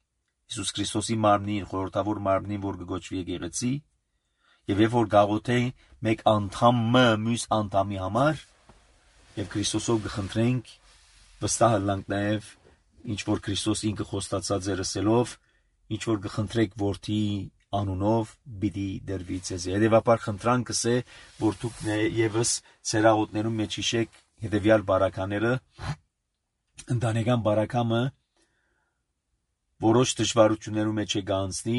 Հիսուս Քրիստոսի մարմնին, խորհրդավոր մարմնին, որ կգոչվի եկեղեցի, եւ երբ որ գաղոթենք մեկ անդամը մյուս անդամի համար, եւ Քրիստոսով կխնդրենք, վստահ ըլլանք նաեւ, ինչ որ Քրիստոս ինքը խոստացած էր ասելով, ինչ որ կխնդրեք որդի անունով, պիտի դրվի ձեզ։ Հետևաբար խնդրանքս է, որ դուք եւս ձեր աղոթներում մեջ հիշեք հետեւյալ բարակաները, ընտանեկան բարակամը, որոշ դժվարություններում մեջ է գանցնի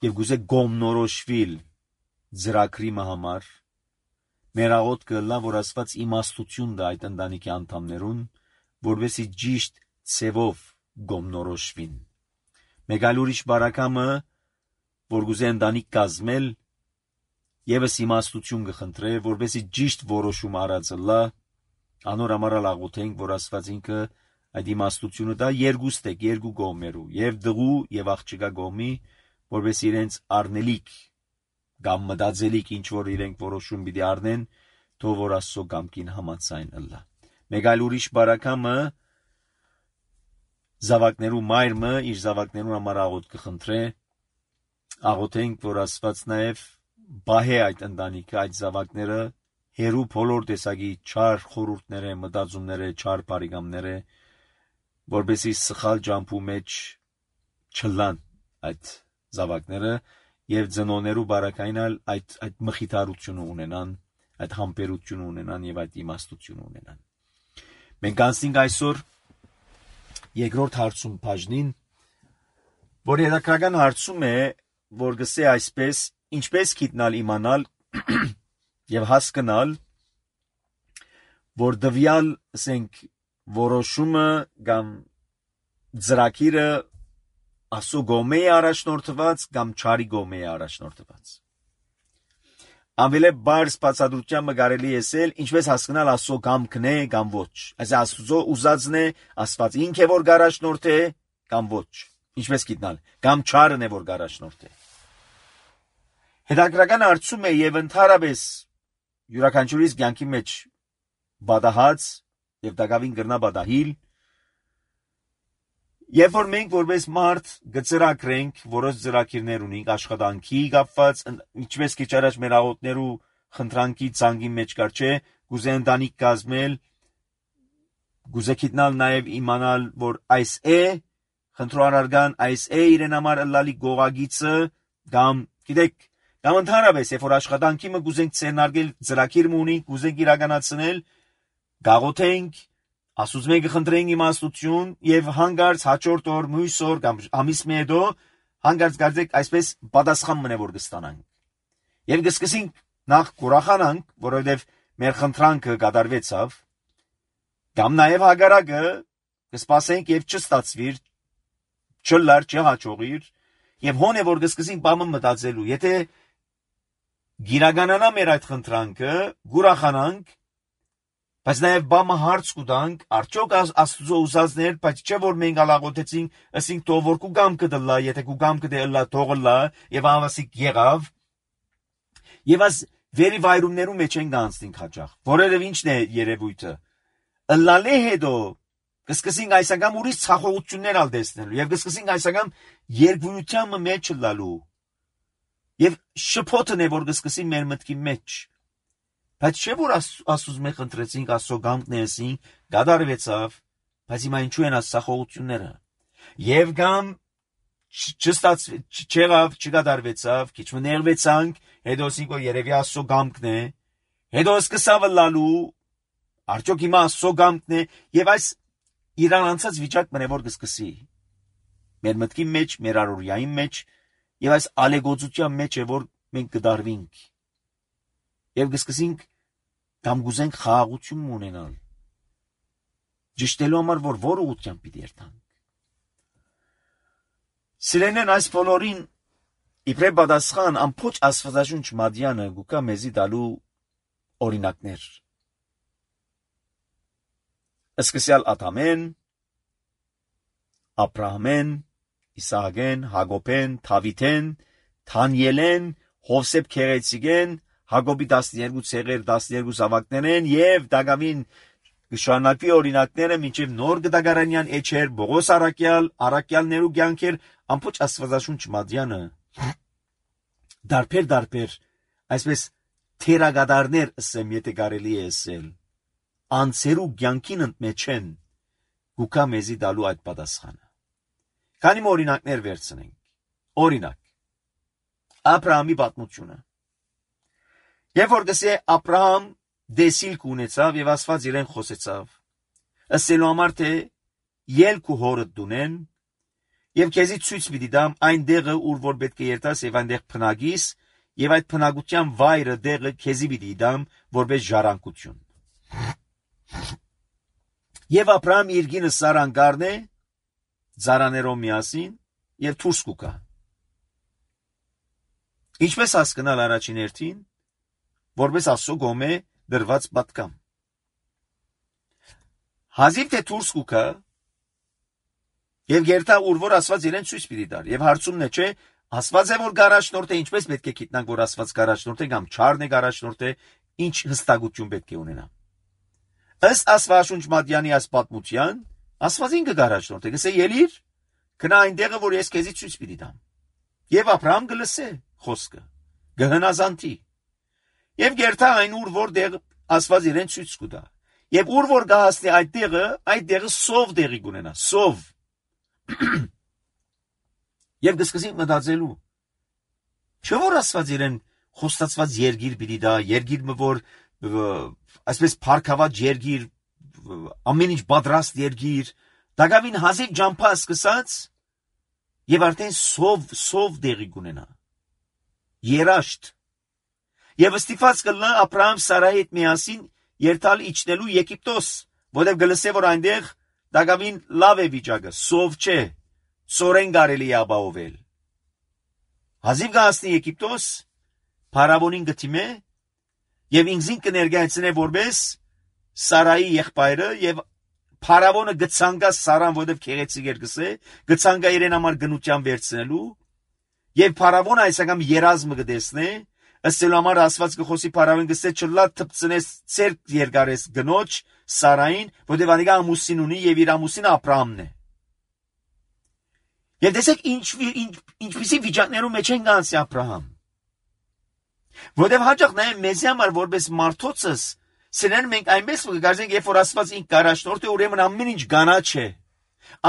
եւ գուզե գոմնորոշվիլ ծրագրի համար մեր աղոթքը լա որ Աստված իմաստություն տա այդ ընտանիքի անդամներուն որովհետեւ ճիշտ ցևով գոմնորոշվին մեկ այլ ուրիշ բարակամը որ գուզե ընտանիք կազմել եւս իմաստություն կխնդրե որովհետեւ ճիշտ որոշում արածը լա անոր համար աղոթենք որ Աստված ինքը այդ իմաստությունը դա երկուստեք, երկու կողմերու, եւ դղու եւ աղջկա կողմի, որպես իրենց առնելիք կամ մտածելիք ինչ որ իրենք որոշում պիտի առնեն, թող որ Աստծո կամքին համաձայն ըլլա։ Մեկ այլ ուրիշ բարակամը զավակներու մայրը իր զավակներուն համար աղոթք կխնդրե, աղոթենք որ Աստված նաեւ բահե այդ ընտանիքը, այդ զավակները հերու բոլոր տեսակի չար խորհուրդները, մտածումները, չար բարեկամները որբեսի սխալ ջամփու մեջ չլան այդ զավակները եւ ծնոներու բարակայնալ այդ մխիթարությունը ունենան, այդ համբերությունը ունենան եւ այդ իմաստությունը ունենան։ Մենք անցնենք այսօր երկրորդ հարցում բաժնին, որ երակրական հարցում է, որ գսե այսպես, ինչպես գիտնալ իմանալ եւ հասկանալ, որ դվյալ ասենք որոշումը կամ ծրագիրը ասո գոմե է առաջնորդված կամ չարի գոմե է առաջնորդված։ Ամենը բարձ բացատրությամբ կարելի է ասել, ինչպես հասկանալ ասո կամքն է կամ ոչ։ Այս աստծո ուզածն է, Աստված ինքը որ առաջնորդ է կամ ոչ։ Ինչպես գիտնալ, կամ չարն է որ առաջնորդ է։ Հետաքրական հարցում է եւ ընդհանրապես յուրաքանչյուրիս կյանքի մեջ բադահած եւ դակավին գրնա բադահիլ Երբ որ մենք որպես մարդ գծրակրենք, որոշ ծրագիրներ ունենք աշխատանքի կապված, ինչպես քիչ առաջ մեր աղոթներու խնդրանքի ցանկի մեջ կար չէ, գուզե ընտանիք կազմել, գուզե գիտնալ նաև իմանալ, որ այս է, խնդրոարարգան այս է իրեն համար ըլլալի գողագիծը, կամ գիտեք, կամ ընդհանրապես, երբ որ աշխատանքի մը գուզենք ցերնարգել ծրագիր ունենք, գուզենք իրականացնել, գաղոթենք Ասուց մենք խնդրենք իմաստություն եւ հանգարց հաջորդ օր մյուս օր կամ ամիս մի հետո հանգարց գարձեք այսպես պատասխան մնե որ կստանանք։ Եվ կսկսենք նախ կուրախանանք, որովհետեւ մեր խնդրանքը կատարվեցավ, կամ նաեւ հագարակը կսպասենք եւ չստացվիր, չլար չհաջողիր եւ հոն է որ կսկսենք բամը մտածելու, եթե գիրականանա մեր այդ խնդրանքը, կուրախանանք Բայց նաև բամը հարց կուտանք, արդյոք աստծո ուզածներ, բայց չէ որ մենք ալաղոթեցինք, ասինք թող որ կուգամքը դլա, եթե կուգամքը դելա թողլա, եւ անվասիկ եղավ։ Եվ այս վերի վայրումներում մեջ են գանցնենք հաճախ։ Որովհետեւ ինչն է երևույթը։ Ըլլալե հետո կսկսենք այսական ուրիշ ցախողություններ ալ տեսնելու եւ կսկսենք այսական երկվույթյանը մեջ լալու։ Եվ շփոթն է որ կսկսի մեր մտքի մեջ Բայց չէ որ ասուզ մենք ընտրեցինք աստծո գամքն էսին, գադարվեցավ, բայց հիմա ինչու են ասախողությունները։ Եվ կամ չեղավ, չգադարվեցավ, քիչ մներվեցանք, հետո ասինք որ երևի աստծո գամքն է, հետո սկսավ լալու, արդյոք հիմա աստծո գամքն է, եւ այս իրան անցած վիճակն է որ կսկսի։ Մեր մտքի մեջ, մեր առօրյայի մեջ, եւ այս ալեգոծության մեջ է որ մենք կդարվենք։ Եվ կսկսենք կամ գուզենք խաղաղություն ունենալ։ Ճշտելու համար որ ուղղությամբ պիտի երթանք։ Սիրելիներ այս բոլորին իբրև պատասխան ամբողջ աստվածաշունչ մադյանը գուկա մեզի դալու օրինակներ։ Սկսյալ Ադամեն, Աբրահամեն, Իսահակեն, Հակոբեն, Դավիթեն, Դանիելեն, Հովսեփ Քերեցիկեն Հակոբի 12 ցեղեր 12 զավակներն եւ Դագավին շարունակվի օրինակները մինչեւ նոր գդագարանյան էջեր Բողոս Արաքյալներու կյանքեր ամբողջ աստվածաշունչ մադյանը դարբեր այսպես թերագադարներ ասեմ եթե կարելի է ասել անցերու կյանքին ընդմեջեն գուկա մեզի դալու այդ պատասխանը քանի օրինակներ վերցնենք օրինակ Աբրահամի պատմությունը Երբ որ գսե Աբրահամ դեսիլ կունեցավ եւ Աստված իրեն խոսեցավ, ասելու համար թե ելք ու հորդ դունեն եւ քեզի ցույց պիտի դամ այն դեղը ուր որ պետք է երթաս եւ այնտեղ փնագիս եւ այդ փնագության վայրը դեղը քեզի պիտի դամ որպես ժառանգություն։ Եվ Աբրահամ իր գինը Սարան գարնե ծարաներով միասին եւ դուրս կուկա։ Ինչպես հասկանալ առաջին հերթին որպես ասո գոմե դրված պատկամ։ Հազիվ թե դուրս կուկա եւ գերտա ուր որ Աստված իրեն ցույց պիտի տար եւ հարցումն է չէ Աստված է որ գարաշնորդ է ինչպես պետք է գիտնանք որ Աստված գարաշնորդ է կամ չարն է գարաշնորդ է ինչ հստակություն պետք է ունենա ըստ Աստվածաշունչ մատյանի այս պատմության Աստված ինքը գարաշնորդ է գսե ելիր գնա այնտեղը որ ես քեզի ցույց պիտի տամ եւ Աբրահամ գլսե խոսքը գհնազանտի Եվ գերտա այն ուր որտեղ Աստված իրեն ցույց կտա։ Եվ ուր որ գահստի այդ տեղը սով տեղի կունենա, սով։ Եվ կսկսենք մտածելու։ Չէ՞ որ Աստված իրեն խոստացված երգիր պիտի դա, երգիրը որ այսպես փառքաված երգիր, ամեն ինչ պատրաստ երգիր, դակավին հազիվ ջամփա սկսած եւ արդեն սով դեղի կունենա։ Երաշտ։ Եվ ստիփած կլնա Աբրահամ Սարայի հետ միասին երթալ իջնելու Եգիպտոս, որտեղ գլսե որ այնտեղ դակավին լավ է վիճակը, սով չէ, ծորեն կարելի է ապահովել։ Հազիվ գասնի Եգիպտոս, Փարավոնին գտիմե եւ ինքզին կներկայացնե որպես Սարայի եղբայրը եւ Փարավոնը գցանգա Սարան, որտեղ քեղեցիկ էր գսե, գցանգա իրեն համար գնության վերցնելու եւ Փարավոնը այս անգամ երազմը կտեսնե, ըստ համար Աստված կխոսի Փարավոնին գսե չլա թփցնես ցերկ երկարես գնոջ Սարային, որտեղ անիկա ամուսին ունի եւ իր ամուսինը Աբրահամն է։ Եվ տեսեք ինչպիսի վիճակներում մեջ են գանցի Աբրահամ։ Որտեղ հաճախ նայեմ մեզի համար որպես մարդոցս, սրանք մենք այնպես կգարձենք, երբ որ Աստված ինք կարաշնորդ է, ուրեմն ամեն ինչ գանաչ է,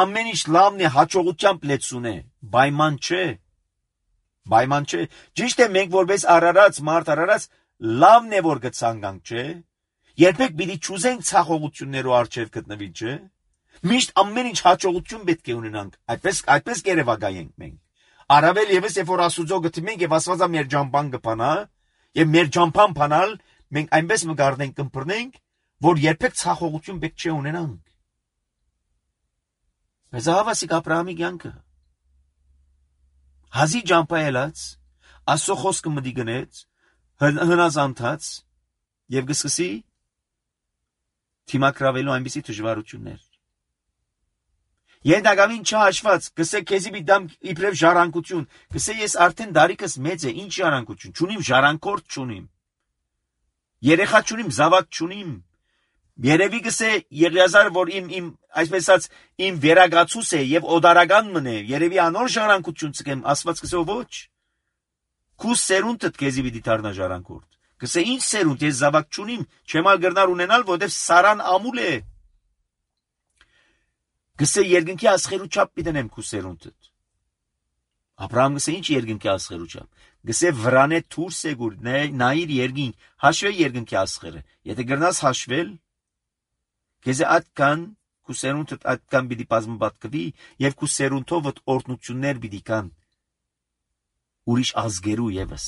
ամեն ինչ լավն է, հաջողությամբ լեցուն է, պայման չէ։ Պայման չէ։ Ճիշտ է մենք որպես արարած մարդ արարած լավն է որ գցանկանք, չէ։ Երբեք պիտի չուզենք ցախողություններով արժև գտնվի, չէ։ Միշտ ամեն ինչ հաջողություն պետք է ունենանք, այդպես կերևակայենք մենք։ Առավել եւս երբ որ Աստուծո գտիմենք եւ Աստվածա մեր ջամփան կփանա, եւ մեր ջամփան փանալ մենք այնպես մգարնենք կմփռնենք, որ երբեք ցախողություն պետք չէ ունենանք։ Բայց հավասիկ Աբրահամի կյանքը հազի ջամփա ելած, Աստծո խոսքը մտի գնեց, հնազանդած եւ գսկսի թիմակրավելու այնպիսի դժվարություններ։ Եդագավին չհաշված, գսե քեզի բիդամ իբրև ժառանգություն, գսե ես արդեն դարիքս մեծ է, ինչ ժառանգություն, չունիմ ժառանգորդ չունիմ։ Երեխա չունիմ, զավակ չունիմ։ Երևի գսե Եղիազար, որ իմ այսպես ասած իմ վերագացուս է եւ օդարական մնե, երևի անոր ժառանգություն ցկեմ, Աստված գսե ոչ։ Քու սերունդդ քեզի պիտի դառնա ժառանգորդ։ Գսե ինչ սերունդ, ես զավակ չունիմ, չեմ ալգրնար ունենալ, որտեվ Սարան ամուլ է։ Գսե երկնքի ասխերու չափ պիտենեմ քու սերունդդ։ Աբրահամ գսե ինչ երկնքի ասխերու չափ։ Գսե վրանե թուրս է գուր, նայիր երկինք, հաշվե երկնքի ասխերը։ Եթե գրնաս հաշվել, քեզե այդքան քու սերունդդ այդքան պիտի բազմապատկվի եւ քու սերունդովդ օրհնություններ պիտի կան ուրիշ ազգերու եւս։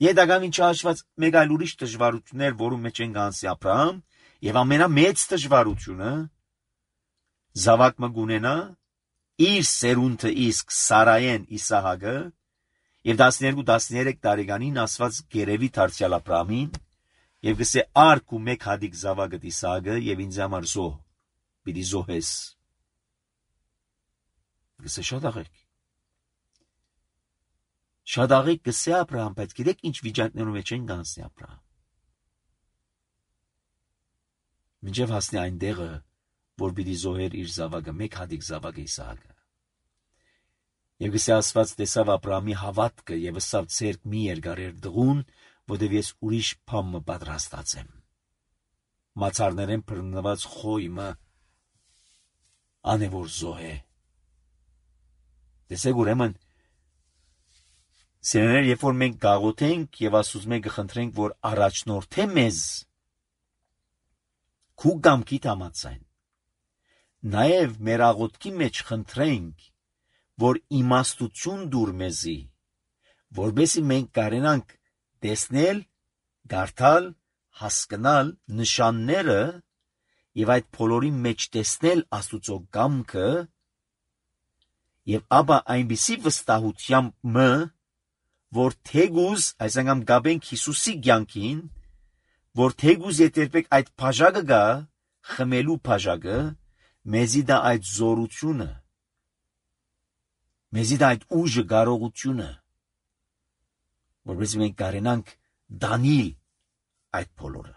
Եդագամին չհաշված մեկ այլ ուրիշ դժվարություններ, որում մեջ են գանցի Աբրահամ, եւ ամենամեծ դժվարությունը զավակ մը գունենա իր սերունդը իսկ Սարայեն Իսահակը եւ 12-13 տարեկանին Աստված գերեւի դարձյալ Աբրահամին եւ գսե արք ու մեկ հադիկ զավակը Իսահակը եւ ինձ համար զոհ պիտի զոհես։ Գսե շատ աղեք գսե Աբրահամ, բայց գիտեք ինչ վիճակներում մեջ են գանցի Աբրահամ։ Մինչև հասնի այն տեղը, որ պիտի զոհեր իր զավակը, մեկ հադիկ զավակը Իսահակը։ Եվ գսե Աստված տեսավ Աբրահամի հավատքը եւ ըսավ ցերկ մի երկարեր դղուն, որտեւ ես ուրիշ բան պատրաստած եմ։ Մացարներեն բռնված խոյմը անևոր զոհե։ Տեսեք ուրեմն սերներ, երբ որ մենք գաղութենք եւ Աստուծո մենք խնդրենք, որ առաջնորդե մեզ քու գամքի համացայն, նաեւ մեր աղոթքի մեջ խնդրենք, որ իմաստություն դուր մեզի, որբեսի մենք կարենանք տեսնել, գարթալ, հասկանալ նշանները եւ այդ բոլորի մեջ տեսնել Աստուծո գամքը եւ ապա այնպիսի վստահությամբ մը, որ թեգուզ այս անգամ գաբենք Հիսուսի կյանքին, որ թեգուզ երբեք այդ բաժակը գա, խմելու բաժակը, մեզի դա այդ զորությունը, մեզի դա այդ ուժը կարողությունը, որպես մենք կարենանք դանիլ այդ բոլորը,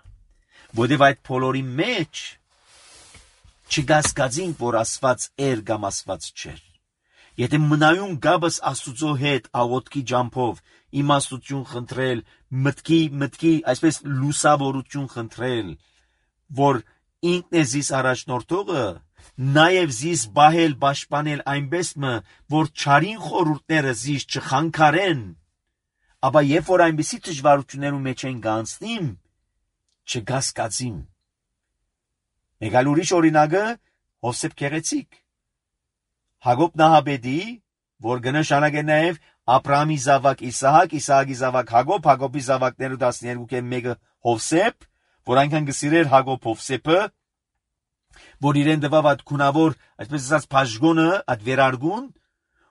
որտեւ այդ բոլորի մեջ չգասկածինք, որ Աստված էր կամ Աստված չէր։ Եթե մնայուն գաբս Աստուծո հետ աղոթքի ջամփով իմաստություն խնդրել, մտքի այսպես լուսավորություն խնդրել, որ ինքն է զիս առաջնորդողը նաև զիս բահել պաշտպանել այնպես որ չարին խորհուրդները զիս չխանգարեն, ապա երբ որ այնպիսի դժվարություններու մեջ են գանցնիմ, չգասկածիմ։ Մեկ այլ ուրիշ օրինակը Հովսեփ Գեղեցիկ, Հակոբ Նահաբեդի, որ կնշանակե նաև Աբրահամի զավակ Իսահակ, Իսահակի զավակ Հակոբ, Հակոբի զավակները 12-ը մեկը Հովսեփ, որ այնքան կսիրեր Հակոբ Հովսեփը, որ իրեն տվավ այդ քունավոր, այսպես ասած բաժգոնը, այդ վերարգուն,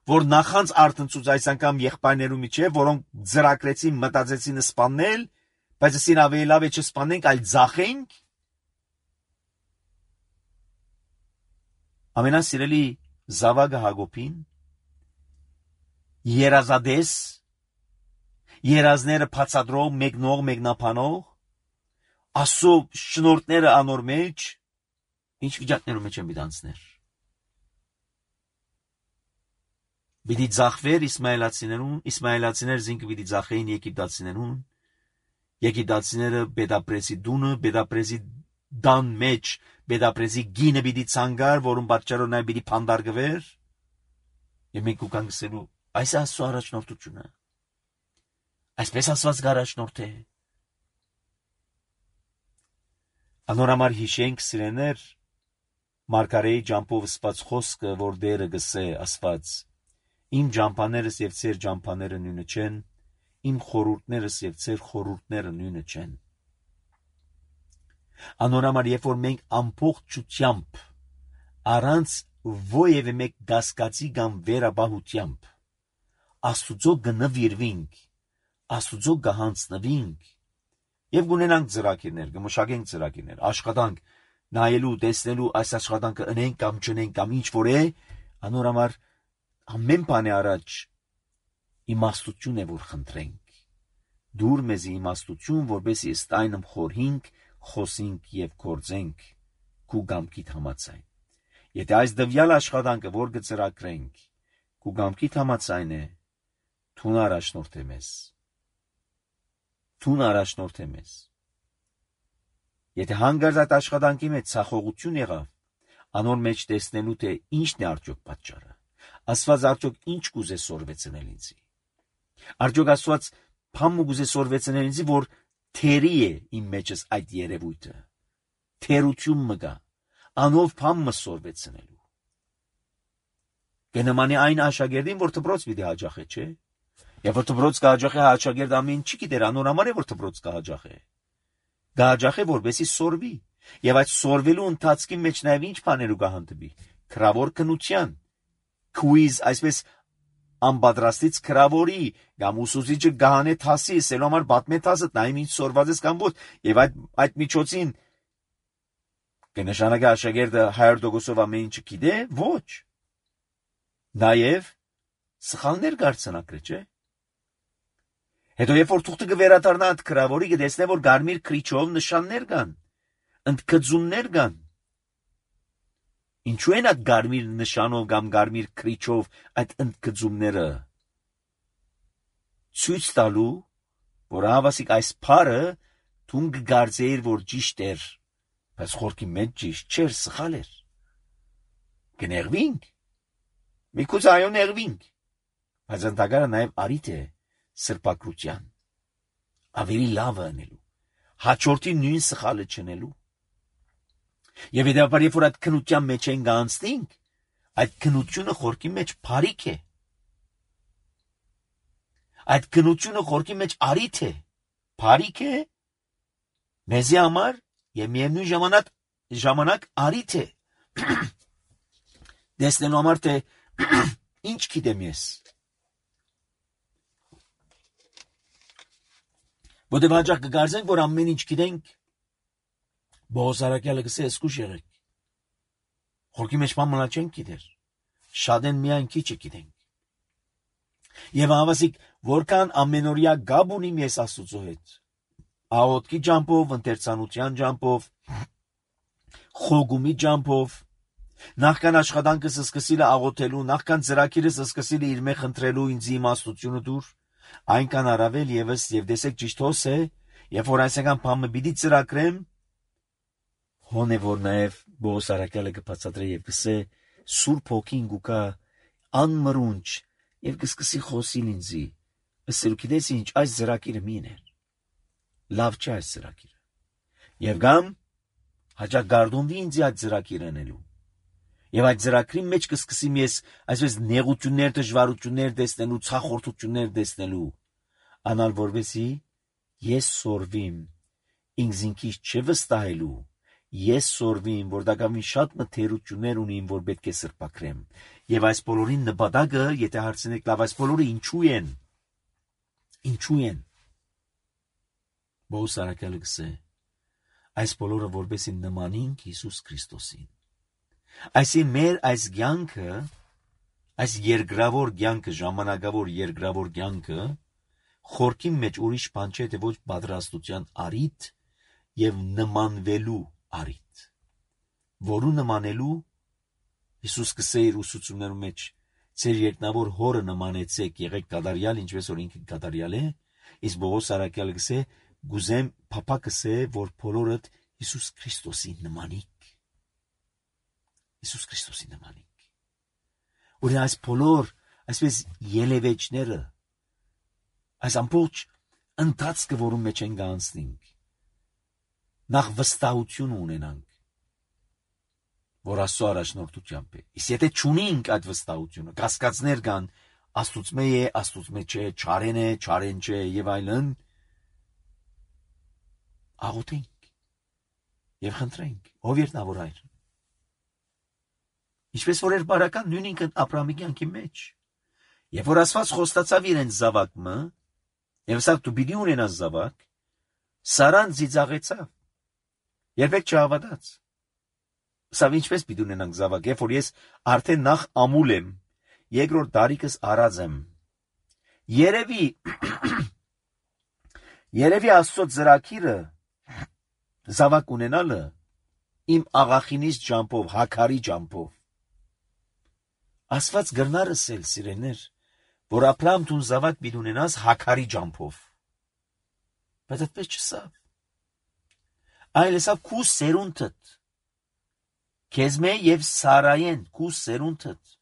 որ նախանց արտնցուց այս անգամ եղբայրներու միջև, որոնք ծրագրեցին, մտածեցին սպանել, բայց ասին ավելի լավ է չսպանենք, այլ ձախենք։ Ամենասիրելի զավակը Հակոբին, երազադես, երազները բացատրող, մեկնող, մեկնաբանող, Աստծո շնորհները անոր մեջ, ինչ վիճակներում մեջ են բիդանցներ։ Պիտի ձախվեր իսմայելացիներուն, իսմայելացիներ զինքը պիտի ձախեին եգիպտացիներուն, եգիպտացիները Բեդապրեսի դունը, Բեդապրեսի դան մեջ, Բեդապրեսի գինը պիտի ցանգար, որում պատճառով նա պիտի փանդարգվեր, եւ մենք ուքան գսելու, այս Աստծո առաջնորդությունը, այսպես ասված առաջնորդ է։ Անորամար հիշենք սիրեներ, Մարգարեի ջամփով սպած խոսքը, որ դերը գսե ասված, իմ ջամփաներս եւ ծեր ջամփաները նույնը չեն, իմ խորհուրդներս եւ ծեր խորհուրդները նույնը չեն։ Անորամար երբ որ մենք ամբողջությամբ առանց ովևէ մեկ գասկածի կամ վերաբահությամբ Աստուծո գնվիրվինք, Աստուծո գահանցնվինք եւ գունենանք ծրագիրներ, կմշակենք ծրագիրներ, աշխատանք նայելու, տեսնելու այս աշխատանքը ընենք կամ չընենք կամ ինչ որ է, անորամար ամեն բանի առաջ իմաստություն է որ խնդրենք։ Դուր մեզ իմաստություն, որպեսզի ըստ այնմ խորհինք, խոսենք եւ գործենք քու գամքիդ համաձայն։ Եթե այս դվյալ աշխատանքը որ կծրագրենք, քու գամքիդ համաձայն է, թուն առաջնորդ է մեզ։ Թուն առաջնորդ է մեզ։ Եթե հանգարց այդ աշխատանքի մեջ ցախողություն եղավ, անոր մեջ տեսնելու թե ինչն է արդյոք պատճառը։ Աստված արդյոք ինչ կուզե սորվեցնել ինձի։ Արդյոք Աստված փամ կուզե սորվեցնել ինձի, որ թերի է իմ մեջս այդ երևույթը։ Թերություն մը գա, անով փամ մը սորվեցնելու։ Կնմանի այն աշակերտին, որ դպրոց պիտի հաջախե, չէ։ Եվ որ դպրոց կհաջախե, աշակերտ ամեն չի գիտեր, անորամար է որ դպրոց կհաջախե։ Գահաջախե որպեսի սորվի, եւ այդ սորվելու ընթացքի մեջ նաեւ ինչ բաներու կհանդիպի։ Քրավոր քնության, քուիզ, այսպես անպատրաստից քրավորի, կամ ուսուցիչը գահանե թասի, սելոմար բատմե թասը, նայում ինչ սորված ես կամ ոչ, եւ այդ միջոցին կնշանակի աշակերտը 100%-ով ամեն ինչը գիտե, ոչ։ Նաեւ սխալներ կարծնակրե, չէ։ Հետո երբ որ թուղթը կվերադառնա այդ քրավորի կտեսնե որ գարմիր քրիչով նշաններ կան, ընդգծումներ կան։ Ինչու են այդ գարմիր նշանով կամ գարմիր քրիչով այդ ընդգծումները։ Ցույց տալու, որ հավասիկ այս փարը թուն կգարձեիր որ ճիշտ էր, բայց խորքի մեջ ճիշտ չէր, սխալ էր։ Կներվինք։ Միքուց այո ներվինք։ Բայց ընդհակառը նաև արիթ է սրբակրության, ավելի լավը անելու, հաջորդի նույն սխալը չնելու։ Եվ հետևաբար երբ որ այդ քնության մեջ են գանցնենք, այդ քնությունը խորքի մեջ բարիք է։ Այդ քնությունը խորքի մեջ արիթ է, բարիք է, մեզի համար եւ միևնույն ժամանակ արիթ է։ Տեսնելու համար թե ինչ գիտեմ ես։ Որտեւ հաճախ կգարձենք, որ ամեն ինչ գիտենք, Բողոս Արաքյալը գսե eskuş եղեք։ Խորքի մեջ մամլա չենք գիտեր, շատ են միայն քիչը գիտենք։ Եվ հավասիկ, որքան ամենօրյա գաբ ունիմ ես Աստծո հետ, աղոթքի ջամփով, ընթերցանության ջամփով, խոգումի ջամփով, նախքան աշխատանքս սկսիլը աղոթելու, նախքան ծրագիրս սկսիլը իր մե խնդրելու ինձ իմաստությունը դուր, այնքան առավել եւս եւ դեսեք ճիշտ հոս է, երբ որ այսական բանը պիտի ծրագրեմ, հոն է որ նաեւ Բողոս արաքյալը կբացատրե եւ կսե Սուրբ Հոգին գուկա անմրունչ եւ կսկսի խոսիլ ինձի ըսել գիտես ինչ այս ծրագիրը միներ լավ չէ այս ծրագիրը եւ գամ հաջակ գարդոնվի ինձ այդ ծրագիրը անելու եւ այդ ծրագրի մեջ կսկսի ես այսպես նեղություններ դժվարություններ տեսնելու ցախորտություններ տեսնելու անալ որովհետեւ ես սորվիմ ինքզինքից չվստահելու ես սորվիմ որ դակամին շատ մթերություններ ունիմ որ պետք է սրբակրեմ եւ այս բոլորին նպատակը եթե հարցնեք լավ այս բոլորը ինչու են Բողոս արաքյալը գսե այս բոլորը որբեսի նմանինք Հիսուս Քրիստոսին այսի մեր այս կյանքը այս երկրավոր կյանքը ժամանակավոր երկրավոր կյանքը խորքի մեջ ուրիշ բան չէ թե ոչ պատրաստության առիթ եւ նմանվելու առիթ որու նմանելու Հիսուս կսե իր ուսուցումներում մեջ ձեր երկնավոր հորը նմանեցեք եղեք կատարյալ ինչպես որ ինքը կատարյալ է իսկ Բողոս արաքյալը կսե գուզեմ փափա կսե որ բոլորդ Հիսուս Քրիստոսին նմանիկ Հիսուս Քրիստոսին նմանիկ որ այս բոլոր այսպես ելևեջները այս ամբողջ ընթացքը որում մեջ են գանցնենք նախ վստահություն ունենանք որ Աստծո առաջնորդությամբ է իսկ եթե չունենք այդ վստահությունը կասկածներ կան Աստուծմե է Աստուծմե չէ չարեն է չարեն չէ եւ այլն աղոթենք եւ խնդրենք ով երնավոր հայր ինչպես որ էր բարական նույնինք Աբրահամի կյանքի մեջ եւ որ Աստված խոստացավ իրեն զավակը եւ ասավ դու պիտի ունենաս զավակ Սարան ծիծաղեցավ երբեք չհավատաց սա ինչպես պիտի ունենանք զավակ երբ որ ես արդեն նախ ամուլ եմ երկրորդ դարիքս արած եմ երևի Աստծո ծրագիրը զավակ ունենալը իմ աղախինից ջամփով հակարի ջամփով Աստված գրնարս էլ սիրեներ որ Աբրահամ դու զավակ պիտի ունենաս հակարի ջամփով բայց այդպես չսավ այլ էսավ քու սերունդդ քեզ մե եւ Սարայեն քու սերունդդ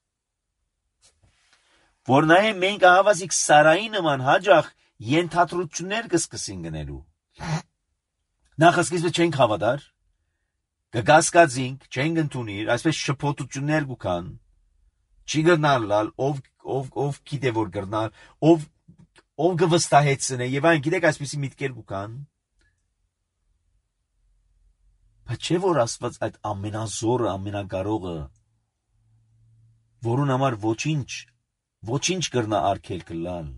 որ նայե մենք ահավասիկ Սարայի նման հաջող ենթադրություններ կսկսին գնելու նախ սկիզբը չենք հավատար կգասկածինք չենք ընդունիր այսպես շփոթություններ կան չի գնալ ով գիտե որ գրնալ ով կվստահեցնե եւ այն գիտեք այսպեսի միտքեր կան բայց չէ որ Աստված այդ ամենազորը ամենակարողը որուն համար ոչինչ կրնա արգել կլալ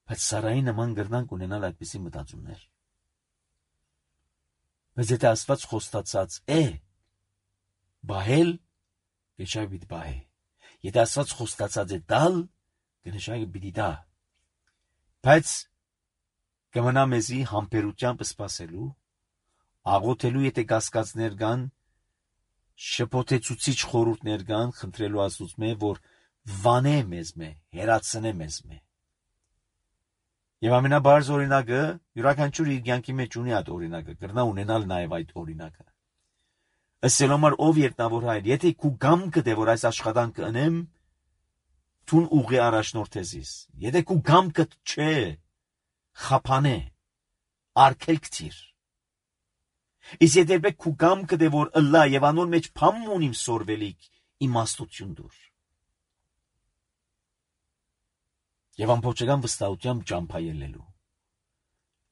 բայց Սարայի նման գրնանք ունենալ այդպիսի մտածումներ բայց եթե Աստված խոստացած է բահել Գեշայ բիտ բահե եթե Աստված խոստացած է դալ գնշայ բիտ դա բայց կմնա մեզի համբերությամբ սպասելու աղոթելու եթե կասկածներ կան շփոթեցուցիչ խորհուրդներ կան խնդրելու Աստծո որ վանե մեզ հերացնե մեզ եւ ամենաբարձ օրինակը յուրաքանչյուր իր կյանքի մեջ ունի այդ օրինակը կրնա ունենալ նաեւ այդ օրինակը Ասելոմար ով երտնավոր հայր, եթե քու գամքը դե որ այս աշխատանքը անեմ, թուն ուղի առաջնորդեզիս, եթե քու գամքը չէ, խափանե, արգելք թիր, իսկ եթե բեք քու գամքը դե որ ըլլա և անոր մեջ պամն ունիմ սորվելիք իմաստություն դուր, և ամբողջական վստահությամբ ճամփայելելու,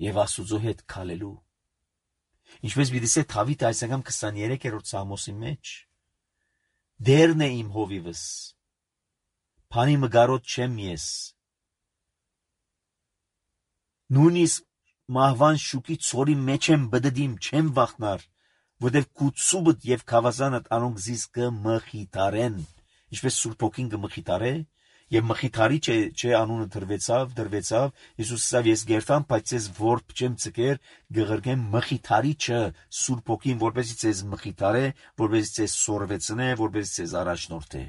և Աստուծո հետ քալելու, ինչպես պիտի սե Դավիթը այս անգամ 23-րդ Սաղմոսի մեջ դերն է իմ հովիվս, փանի մգարոտ չեմ ես, նույնիսկ մահվան շուկի ցորի մեջ եմ բդդիմ, չեմ վախնար, որտեղ կուցուբդ եւ քավազանդ անոնք զիս կմխիթարեն, ինչպես Սուրբ Հոգին կմխիթարե, եւ մխիթարի չէ անունը դրվեցավ, Հիսուս ասավ ես գերտամ, բայց ես որբ չեմ ցկեր, գղրգեմ մխիթարիչը Սուրբ Հոգին, որպեսզի ցեզ մխիթարե, որպեսզի ցեզ սորվեցնե, որպեսզի ցեզ առաջնորդե։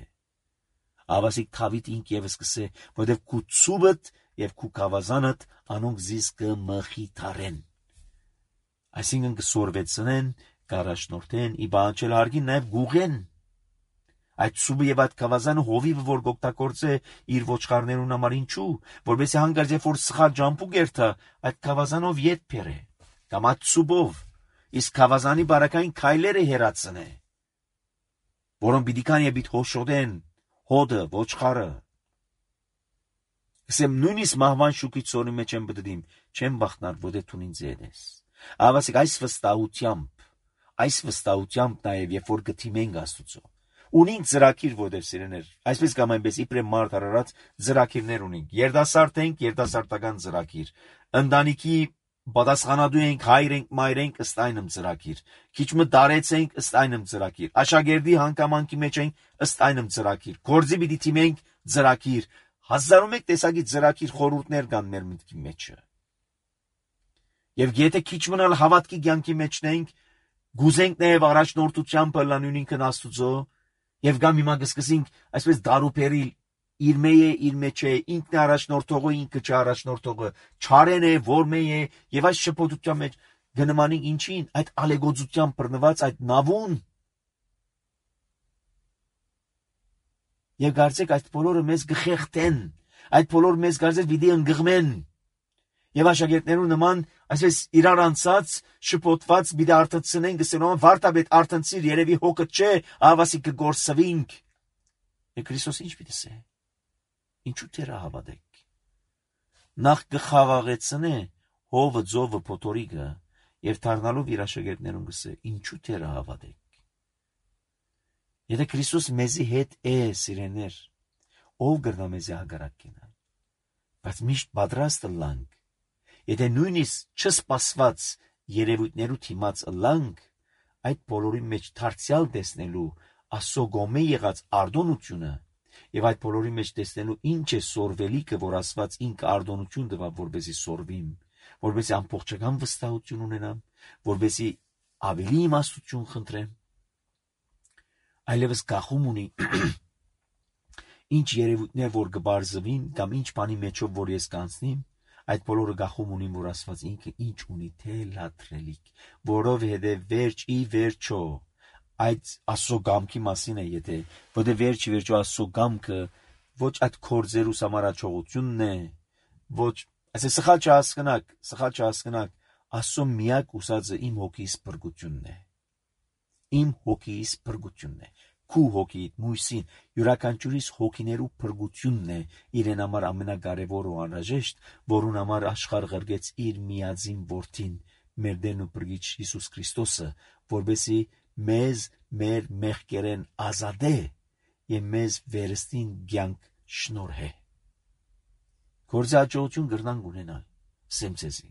Ավասիկ Դավիթ ինք եւս կսե, որտեղ կուցուբդ եւ քու քավազանդ անոնք զիս կմխիթարեն։ Այսինքն կսորվեցնեն, Կարաշնորթեն ի բանջել հարգին նաև գուղեն։ Այդ սուբը եւ այդ կավազանը հովիվը որ գոկտակորձե իր ոչխարներուն համար ինչու, որովհետեւ հանգարց երբ որ սխալ ջամփու գերթա, այդ կավազանով ետ փերը, կամ այդ սուբով, իսկ կավազանի բարակային քայլերը հերացնե, որոնք պիտի կան եւ պիտի հոշոտեն հոդը, ոչխարը։ Ասեմ նույնիսկ մահվան շուկից սորի մեջ եմ բդդիմ, չեմ բախտնար, որտե թունին ձեդես։ Ավասիկ այս վստահությամբ նաև երբ որ գտիմենք Աստուծո։ Ունենք ծրագիր, որտեղ սիրեներ, այսպես կամ այնպես իբրե մարդ արարած ծրագիրներ ունենք։ Երդասարդ ենք, երդասարտական ծրագիր։ Ընտանիքի պատասխանատու ենք, հայր ենք, մայր ենք, ըստ այնմ ծրագիր։ Քիչ մը դարեց ենք, ըստ այնմ ծրագիր։ Աշակերտի հանգամանքի մեջ ենք, ըստ այնմ ծրագիր։ Գործի պիտի թիմենք ծրագիր։ 1001 տեսակի ծրագիր խորհուրդներ կան մեր մտքի մեջը։ Եվ եթե քիչ մնալ հավատքի կյանքի մեջնենք, գուզենք նաև առաջնորդությամբ լանյունինքն Աստուծո, եւ գամ հիմա կսկսենք այսպես դարուփերիլ իր մեյե իր մեջ է, ինքն է առաջնորդողը, ինքը չէ առաջնորդողը, չարեն է, որմե է, եւ այս շփոթության մեջ գնմանին ինչին, այդ ալեգոծությամբ բռնված այդ նավուն։ Եվ գարցեք այդ բոլորը մեզ գխեղտեն, այդ բոլորը մեզ գարցեք պիտի ընկղմեն։ Եվ աշակերտներու նման այսպես իրար անցած շփոթված պիտի արթնցնեն գսենոն վարտաբեդ արթնցիր երևի հոգը չէ, ավասի կգործվինք։ Եվ Քրիստոս ինչ պիտի ասե։ Ինչու դեռ հավատեք։ Նախ կխաղաղեցնե հովը ձովը փոթորիկը եւ դառնալով իր աշակերտներուն գսե ինչու դեռ հավատեք։ Եթե Քրիստոս մեզի հետ է սիրեներ, ով կգնա մեզի հագարակ կենալ։ Բայց միշտ պատրաստ լանք։ Եթե նույնիսկ չսպասված երևույթներու թիմած լանք, այդ բոլորի մեջ դարձյալ տեսնելու Աստծո գոմե եղած արտոնությունը եւ այդ բոլորի մեջ տեսնելու ինչ է սորվելիքը, որ Աստված ինքը արտոնություն տվավ, որպեսզի սորվիմ, որպեսզի ամբողջական վստահություն ունենամ, որպեսզի ավելի իմաստություն խնդրեմ, այլևս գախում ունի ինչ երևույթներ որ կբարձվին կամ ինչ բանի մեջով որ ես կանցնիմ, այդ բոլորը գախում ունին, որ Աստված ինքը ինչ ունի թելադրելիք, որովհետև վերջ ի վերջո այդ Աստծո գամքի մասին է, եթե որտե վերջի վերջո Աստծո գամքը ոչ այդ կորձերուս համարաչողությունն է, ոչ, այսինքն սխալ չհասկնակ, Աստծո միակ ուսածը իմ հոգիս փրկությունն է, իմ հոգիս փրկությունն է, քու հոգիդ մույսին յուրաքանչյուրիս հոգիներու փրկությունն է իրեն համար ամենակարևոր ու անհրաժեշտ, որուն համար աշխարհ ղրգեց իր միածին որդին, մեր Տերն ու Փրկիչ Հիսուս Քրիստոսը, որովհետեւ մեզ մեր մեղքերեն ազատե եւ մեզ վերստին կյանք շնորհե։ Գործի հաջողություն գրնանք ունենալ, սեմցեզի։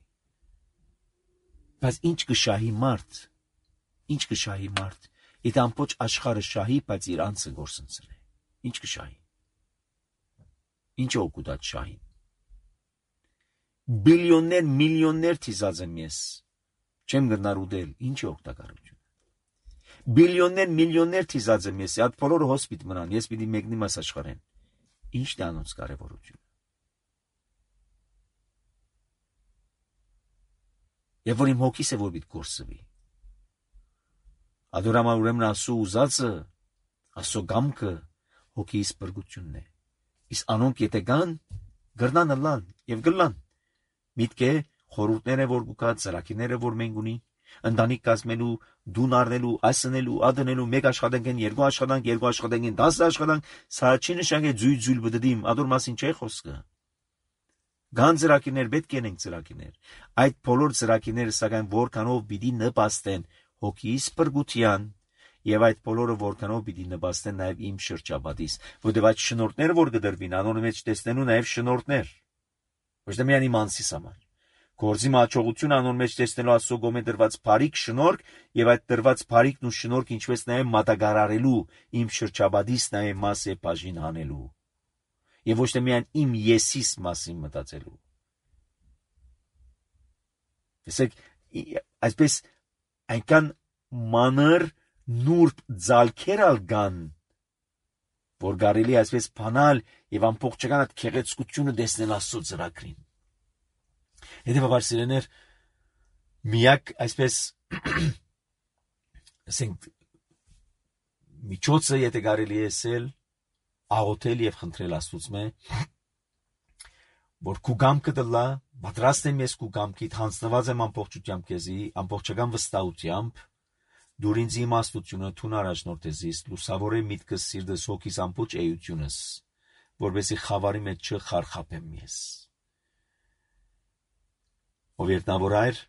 Բայց ինչ կշահի մարդ, եթե ամբողջ աշխարհը շահի, բայց իր անձը գործընծրի։ Ինչ կշահի։ Ինչ օգուտ այդ շահին։ Բիլիոններ, միլիոններ թիզած եմ ես։ Չեմ գնար ուդել, ինչ է օգտակարություն։ Բիլիոններ, միլիոններ թիզած եմ ես, այդ բոլորը հոսպիտ մնան, ես պիտի մեկնիմ այս աշխարհեն։ Ինչն է անոնց կարևորությունը։ Եվ որ իմ հոգիս է որ պիտի գործվի։ Ադորամա ուրեմն Աստծո ուզածը, Աստծո գամքը հոգիս փրկությունն է։ Իսկ անոնք եթե գան, գրնան լան եւ գլան։ Միտքը խորհուրդները որ գուկա, ծրագիրները որ մենք ունի, ընտանիք կազմելու, դուն առնելու, ասնելու, ադնելու, մեկ աշխատանքեն, երկու աշխատանքեն, 10 աշխատանք, սա չի նշանակի ձույլ բդդիմ, ադոր մասին չէ խոսքը։ Գան ծրագիրներ պետք են ծրագիրներ։ Այդ բոլոր ծրագիրները սակայն որքանով պիտի նպաստեն հոգիս փրկության եւ այդ բոլորը որքանով պիտի նպաստեն նաեւ իմ շրջապատիս, որտեղ այդ շնորհները որ կդրվին, անոնց մեջ տեսնելու նաեւ շնորհներ։ Ոչ թե միայն իմ անձիս համար։ Գործի հաջողություն անոնց մեջ տեսնելու Աստծո գոմե դրված բարիք շնորհք եւ այդ դրված բարիքն ու շնորհք ինչպես նաեւ մատակարարելու իմ շրջապատիս նաեւ մաս է բաժին հանելու։ Եվ ոչ թե միայն իմ եսիս մասին մտածելու։ Տեսեք, այսպես այնքան մանր նուրբ ձալքերալ կան, որ կարելի այսպես փանալ եւ ամբողջական այդ քեղեցկությունը տեսնել Աստծո ծրագրին։ Հետևաբար սիրեներ, միակ այսպես ասենք միջոցը եթե կարելի է ասել աղոթել եւ խնդրել Աստծո որ քու գամքը դլա պատրաստ եմ ես քու գամքիդ հանձնված եմ ամբողջությամբ քեզի ամբողջական վստահությամբ դուր ինձ իմաստությունը թուն առաջնորդես լուսավորե միտքս սիրտս հոգիս ամբողջ էությունս որովհետեւ խավարի մեջ չխարխափեմ ես ով երտնավոր այր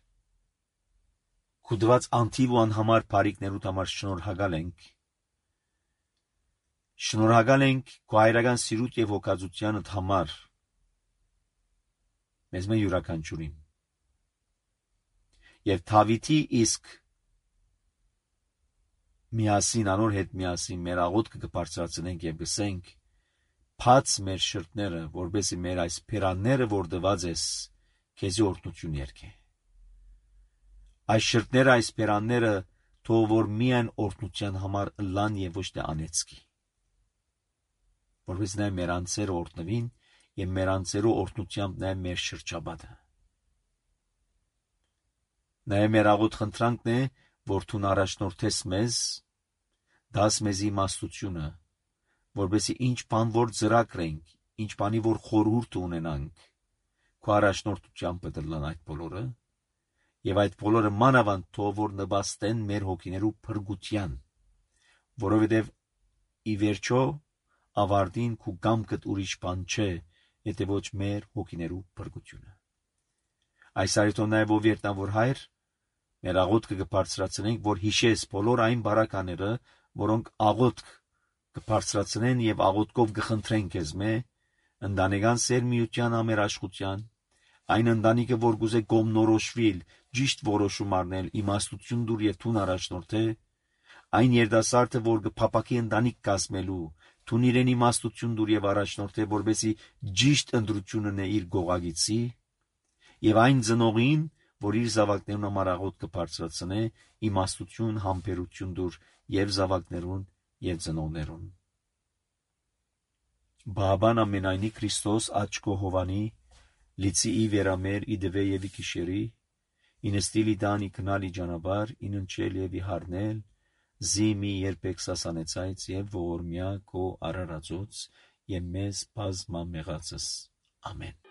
քու դված անթիվ ու անհամար բարիքներուդ համար շնորհակալ ենք քո հայրական սիրուտ եւ հոգածությանդ համար մեզ մե յուրաքանչյուրին եւ Դավիթի իսկ միասին անոր հետ միասին մեր աղոթքը կբարձրացնենք եւ գսենք փած մեր շրտները որբեսի մեր այս փերանները որ դված ես քեզի օրհնություն երկե այս շրտները այս փերանները թող որ միայն օրհնության համար լան եւ ոչ թե անեցքի որբեսի նա մեր անձերը օրհնվին եւ մեր անձերու օրհնությամբ նա մեր շրջաբադը նա մեր աղոթ խնդրանքն է որ դու առաջնորդես մեզ դաս մեզ իմաստությունը որբեսի ինչ բան որ ծրագրենք ինչ բանի որ խորհուրդ ունենանք քո առաջնորդությամբ դլան այդ բոլորը եւ այդ բոլորը մանավանդ թող որ նպաստեն մեր հոգիներու փրկության որովհետեւ ի վերջո ավարտին քու գամքդ ուրիշ բան չէ եթե ոչ մեր հոգիներու փրկությունը այս արիտոն նաեւ ով երտնավոր հայր մեր աղոթքը կբարձրացնենք որ հիշես բոլոր այն բարակաները որոնք աղոթք կբարձրացնեն եւ աղոթքով կխնդրեն քեզ մե ընտանեկան սերմիության ամերաշխության այն ընտանիքը որ գուզե գոմնորոշվիլ ճիշտ որոշում առնել իմաստություն դուր եւ թուն առաջնորդե այն երդասարտը որ կփապակի ընտանիք կազմելու թուն իրեն իմաստություն դուր եւ առաջնորդե որբեսի ճիշտ ընտրությունն է իր գողագիցի եւ այն ծնողին որ իր զավակներուն համար աղոթքը բարձրացնե իմաստություն համբերություն դուր եւ զավակներուն եւ ծնողներուն Բաբան ամենայնի Քրիստոս աչքո հովանի լիցի ի վերամեր ի դվե եւ ի քիշերի ինստիլի դանի կնալի ջանաբար իննչել եւ ի հարնել զիմի երբեք սասանեցայց եւ ողորմյա քո արարածոց եւ մեզ բազմամեղածս ամեն